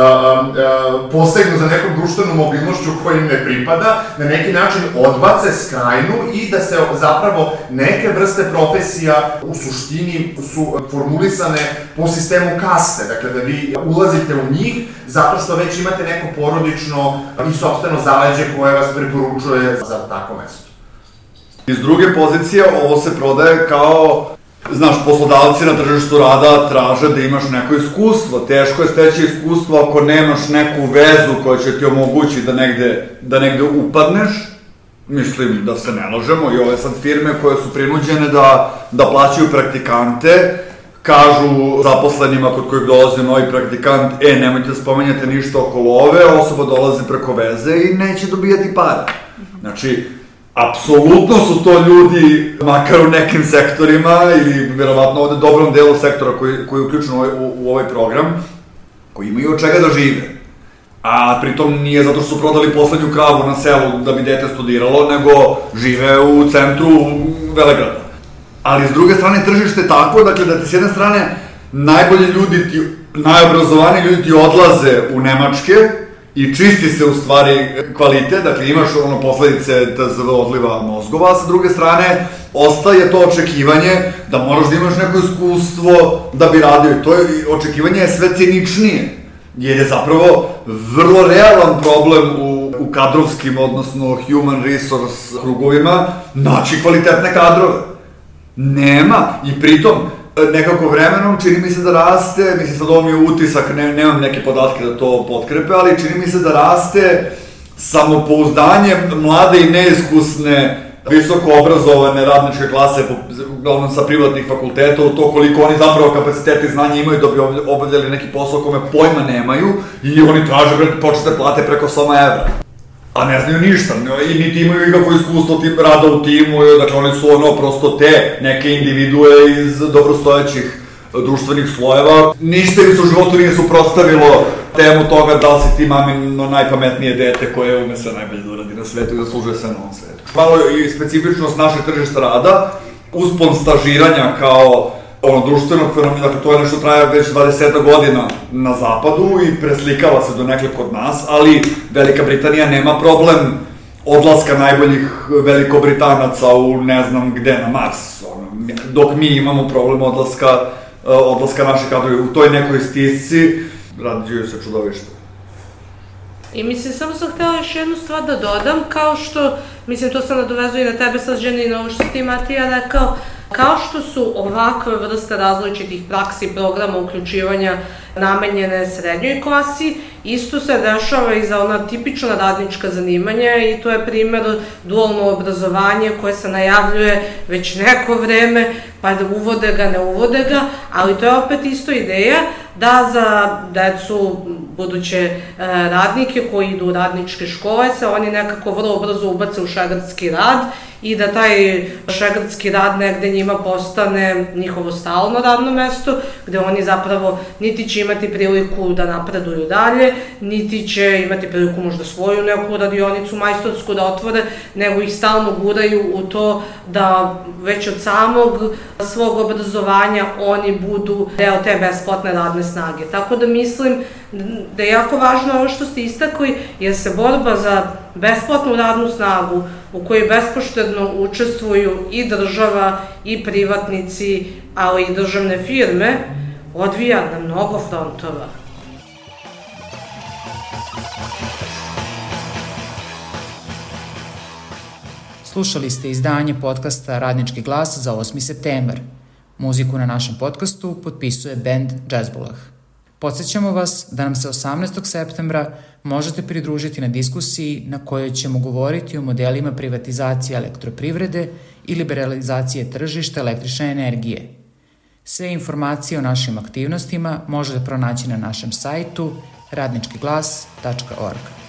uh, posegnu za nekom društvenom mobilnošću koja im ne pripada, na neki način odbace, skrajnu i da se zapravo neke vrste profesija u suštini su formulisane po sistemu kaste, dakle da vi ulazite u njih zato što već imate neko porodično i sopstveno zaleđe koje vas preporučuje za tako mesto. Iz druge pozicije ovo se prodaje kao, znaš, poslodavci na tržištu rada traže da imaš neko iskustvo. Teško je steći iskustvo ako nemaš neku vezu koja će ti omogući da negde, da negde upadneš. Mislim da se ne lažemo i ove sad firme koje su prinuđene da, da plaćaju praktikante, kažu zaposlenima kod kojeg dolazi novi praktikant, e, nemojte spomenjati ništa okolo ove, osoba dolazi preko veze i neće dobijati pare. Znači, apsolutno su to ljudi, makar u nekim sektorima, ili verovatno ovde dobrom delu sektora koji, koji je uključen u, u, u ovaj program, koji imaju od čega da žive. A pritom nije zato što su prodali poslednju kravu na selu da bi dete studiralo, nego žive u centru Velegrada. Ali s druge strane tržište je tako, dakle da ti s jedne strane najbolji ljudi ti, najobrazovaniji ljudi ti odlaze u Nemačke i čisti se u stvari kvalitet, dakle imaš ono posledice T Z V odliva mozgova, a sa druge strane ostaje to očekivanje da moraš da imaš neko iskustvo da bi radio i to je, očekivanje je sve ciničnije, jer je zapravo vrlo realan problem u, u kadrovskim, odnosno human resource krugovima, naći kvalitetne kadrove. Nema, i pritom nekako vremenom čini mi se da raste, mislim sad ovo mi je utisak, ne, nemam neke podatke da to potkrepe, ali čini mi se da raste samopouzdanje mlade i neiskusne, visoko obrazovane radničke klase, uglavnom sa privatnih fakulteta, u to koliko oni zapravo kapacitete i znanja imaju da bi obavljali neki posao kome pojma nemaju i oni traže počete plate preko sto evra. A ne znaju ništa, i niti imaju ikakvo iskustvo tip rada u timu, dakle oni su ono prosto te neke individue iz dobrostojećih društvenih slojeva. Ništa im se u životu nije suprotstavilo temu toga da li si ti mamino najpametnije dete koje ume sve najbolje da uradi na svetu i zaslužuje sve na ovom svetu. Malo i specifičnost našeg tržišta rada, uspon stažiranja kao ono društvenog fenomena, dakle to je nešto traje već dvadeset godina na zapadu i preslikava se do nekle kod nas, ali Velika Britanija nema problem odlaska najboljih Velikobritanaca u ne znam gde na Mars, ono, dok mi imamo problem odlaska, odlaska naših kadrovi u toj nekoj stisci, rađuju se čudovište. I mislim, samo sam htela još jednu stvar da dodam, kao što, mislim, to se nadovezuje i na tebe sad, ženi, i na ovo što ti, Matija, rekao, kao što su ovakve vrste različitih praksi i programa uključivanja namenjene srednjoj klasi, isto se dešava i za ona tipična radnička zanimanja i to je primer dualno obrazovanje koje se najavljuje već neko vreme, pa da uvode ga, ne uvode ga, ali to je opet isto ideja da za decu buduće radnike koji idu u radničke škole, se oni nekako vrlo brzo ubace u šegrdski rad i da taj šegrdski rad negde njima postane njihovo stalno radno mesto, gde oni zapravo niti će imati priliku da napreduju dalje, niti će imati priliku možda svoju neku radionicu majstorsku da otvore, nego ih stalno guraju u to da već od samog svog obrazovanja oni budu deo te besplatne radne snage. Tako da mislim da je jako važno ovo što ste istakli, jer se borba za besplatnu radnu snagu u kojoj bespoštedno učestvuju i država i privatnici, ali i državne firme, odvija na mnogo frontova. Slušali ste izdanje podcasta Radnički glas za osmi septembar. Muziku na našem podcastu potpisuje bend Jazzbulah. Podsjećamo vas da nam se osamnaestog septembra možete pridružiti na diskusiji na kojoj ćemo govoriti o modelima privatizacije elektroprivrede i liberalizacije tržišta električne energije. Sve informacije o našim aktivnostima možete pronaći na našem sajtu radnički glas tačka org.